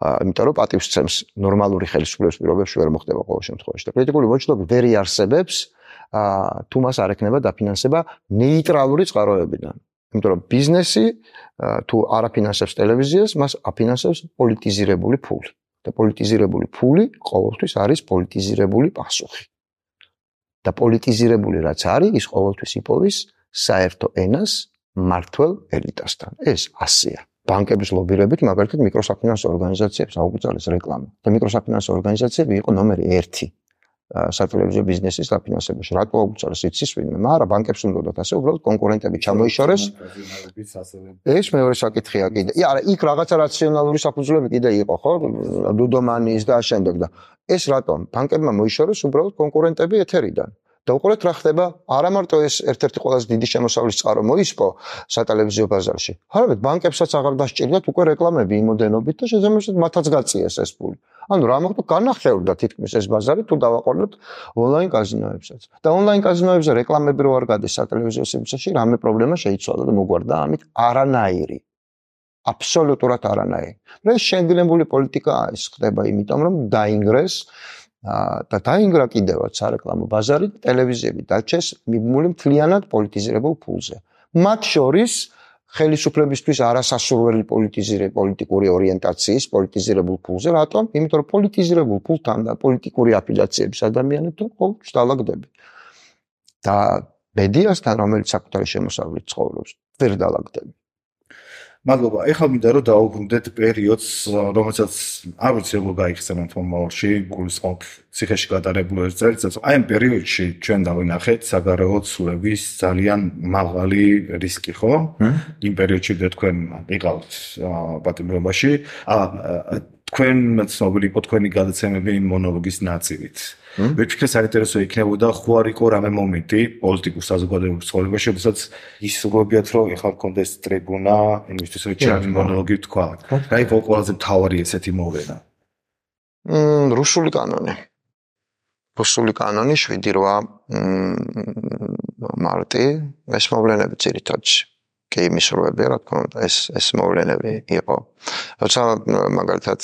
იმიტომ რომ პატივს სცემს ნორმალური ხელისუფლების პირობებში ვერ მოხდება ყოველ შემთხვევაში. და კრიტიკული ვოჩდოგი ვერ იარსებებს თუ მას არ ექნება დაფინანსება ნეიტრალური წყაროებიდან. იმიტომ რომ ბიზნესი თუ არ აფინანსებს ტელევიზიას, მას აფინანსებს პოლიტიზირებული ფული. და პოლიტიზირებული ფული ყოველთვის არის პოლიტიზირებული პასუხი. და პოლიტიზირებული რაც არის, ის ყოველთვის იპოვის საერთო ენას მმართველ ელიტასთან. ეს ასეა. ბანკების ლობირებით მაგალითად მიკროსაფინანსო ორგანიზაციებს აუგრძელეს რეკლამა. და მიკროსაფინანსო ორგანიზაციები იყო ნომერი ერთი სატელევიზიო ბიზნესის დაფინანსებაში. რატო აუგრძელეს იცის ვინმე? მაგრამ ბანკებს უნდათ ასე უბრალოდ კონკურენტები ჩამოიშორეს. ეს მეორე საკითხია კიდე. არა, იქ რაღაცა რაციონალური საფუძვლები კიდე იყო, ხო? დუდომანის და შემდეგ და ეს რატომ? ბანკებმა მოიშორეს უბრალოდ კონკურენტები ეთერიდან. და უყურეთ რა ხდება, არა მარტო ეს ერთ-ერთი ყველაზე დიდი შემოსავლის წყარო მოისპო სატელევიზიო ბაზარში. არამედ ბანკებსაც აღარ დასჭირდათ უკვე რეკლამები იმოდენობით და შესაბამისად მათაც გაწიეს ეს ფული. ანუ რა მოხდა, განახევრდა თითქმის ეს ბაზარი თუ დავაყოლოთ ონლაინ კაზინოებსაც. და ონლაინ კაზინოებზე რეკლამები რო არ გადის სატელევიზიო სივრცეში, რამე პრობლემა შეიცვალა და მოგვარდა ამით არანაირი. აბსოლუტურად არანაირი. და ეს შენგლებული პოლიტიკაა, ეს ხდება იმიტომ რომ დაინგრეს და დაინგრა კიდევაც სარეკლამო ბაზარი და ტელევიზიები დაჩეს მიბმული მთლიანად პოლიტიზირებულ ფულზე. მათ შორის ხელისუფლებისთვის არასასურველი პოლიტიზირებული პოლიტიკური ორიენტაციის პოლიტიზირებულ ფულზე. რატომ? იმიტომ რომ პოლიტიზირებულ ფულთან და პოლიტიკური აფილიაციების ადამიანებთან ყოველთვის დალაგდები. და მედიასთან, რომელიც საკუთარი შემოსავლით ცხოვრობს, ვერ დალაგდები. მადლობა. ეხლა მინდა რომ დაუბრუნდეთ პერიოდს, რომელსაც არ ვიცი როგორ გაიხსენოთ მომავალში, გულისხმობ ციხეში გატარებულ ერთ წელიწადს. აი ამ პერიოდში ჩვენ დავინახეთ საგარეო ცვლების ძალიან მაღალი რისკი, ხო? იმ პერიოდში თქვენ იყავთ პატიმრობაში. თქვენ ცნობილი იყო თქვენი გადაცემები მონოლოგის ნაწილით. ვიფიქრე საინტერესო იქნებოდა ხო არ იყო რამე მომენტი პოლიტიკურ საზოგადოებრივ ცხოვრებაში, როდესაც ისურვებიათ რომ ეხლა მქონდეს ტრიბუნა, იმისთვის რომ ჩემი მონოლოგი თქვა. რა იყო ყველაზე მთავარი ესეთი მოვლენა? მმ რუსული კანონი. რუსული კანონი შვიდი რვა მარტი, ეს მოვლენები ძირითადში. კი მისურვებია, რა თქმა უნდა, ეს ეს მოვლენები იყო. როცა მაგალითად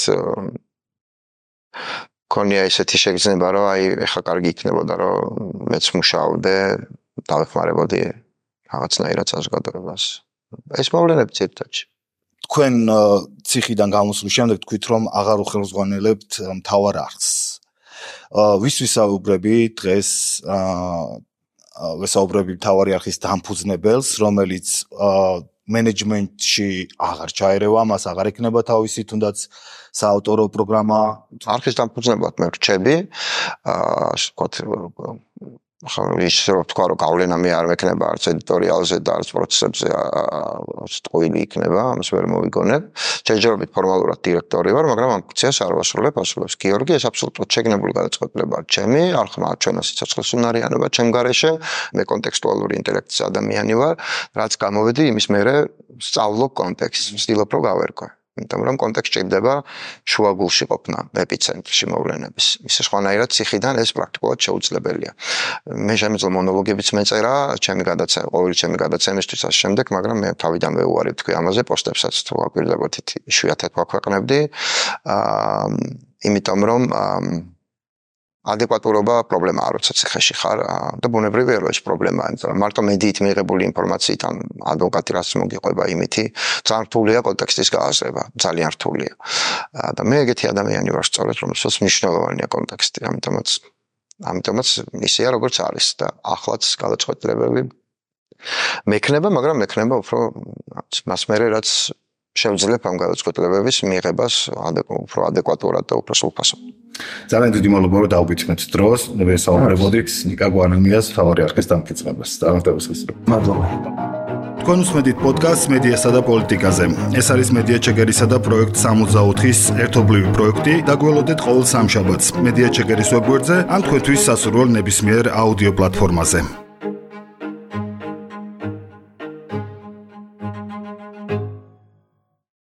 ქონია ესეთი შეგრძნება, რომ აი ეხლა კარგი იქნებოდა, რომ მეც მუშაობდე, დავეხმარებოდი რაღაცნაირად საზოგადოებას. ეს მოვლენები ძირითადში. თქვენ ციხიდან გამოსვლის შემდეგ თქვით, რომ აღარ უხელმძღვანელებთ მთავარ არხს. ვის ვისაუბრები დღეს ვისაუბრები მთავარი არხის დამფუძნებელს, რომელიც მენეჯმენტში აღარ ჩაერევა, მას აღარ ექნება თავისი თუნდაც საავტორო პროგრამა. არხის დამფუძნებლად მე რჩები, ასე ვთქვათ, ისე რომ თქვა, რომ გავლენა მე არ მექნება არც ედიტორიალზე და არც პროცესებზე, ტყუილი იქნება, ამას ვერ მოვიგონებ. ჯერჯერობით ფორმალურად დირექტორი ვარ, მაგრამ ამ ფუნქციას არ ვასრულებ, ასრულებს გიორგი, ეს აბსოლუტურად შეგნებული გადაწყვეტილებაა ჩემი, არხმა ჩვენა სიცოცხლის უნარიანობა ჩემ გარეშე, მე კონტექსტუალური ინტელექტის ადამიანი ვარ, რაც გამოვედი იმის მერე სწავლობ კონტექსტს, ვცდილობ რომ გავერკვე. იმიტომ რომ კონტექსტი ჭირდება შუაგულში ყოფნა, ეპიცენტრში მოვლენების. ისე სხვანაირად ციხიდან ეს პრაქტიკულად შეუძლებელია. მე შემიძლია მონოლოგებიც მეწერა, ჩემი გადაცემა, ყოველი ჩემი გადაცემისთვის ასე შემდეგ, მაგრამ მე თავიდანვე უარი ვთქვი ამაზე, პოსტებსაც თუ აკვირდებოდით, იშვიათად ვაქვეყნებდი. აა იმიტომ რომ ადეკვატურობა პრობლემაა, როცა ციხეში ხარ და ბუნებრივია რომ ეს პრობლემაა, იმიტომ რომ მარტო მედიით მიიღებული ინფორმაციიდან ადვოკატი რაც მოგიყვება იმითი, ძალიან რთულია კონტექსტის გააზრება, ძალიან რთულია. და მე ეგეთი ადამიანი ვარ სწორედ, რომელსაც მნიშვნელოვანია კონტექსტი, ამიტომაც ამიტომაც ისეა როგორც არის და ახლაც გადაწყვეტილებები მექნება, მაგრამ მექნება უფრო მას მერე რაც შევძლებ ამ გადაწყვეტილებების მიღებას უფრო ადეკვატურად და უფრო სრულფასოდ. ძალიან დიდი მადლობა რომ დაუგითხრეთ დროს, ვესაუბრებოდით ნიკა გვანამიას მთავარი არხის დამფუძნებას. წარმატებებს. მადლობა. თქვენ უსმენთ პოდკასტს მედიასა და პოლიტიკაზე. ეს არის მედია ჩეგერისა და პროექტ სამოცდაოთხის ერთობლივი პროექტი. დაგველოდეთ ყოველ სამშაბათს მედია ჩეგერის ვებგვერდზე ან თქვენთვის სასურველ ნებისმიერ აუდიო პლატფორმაზე.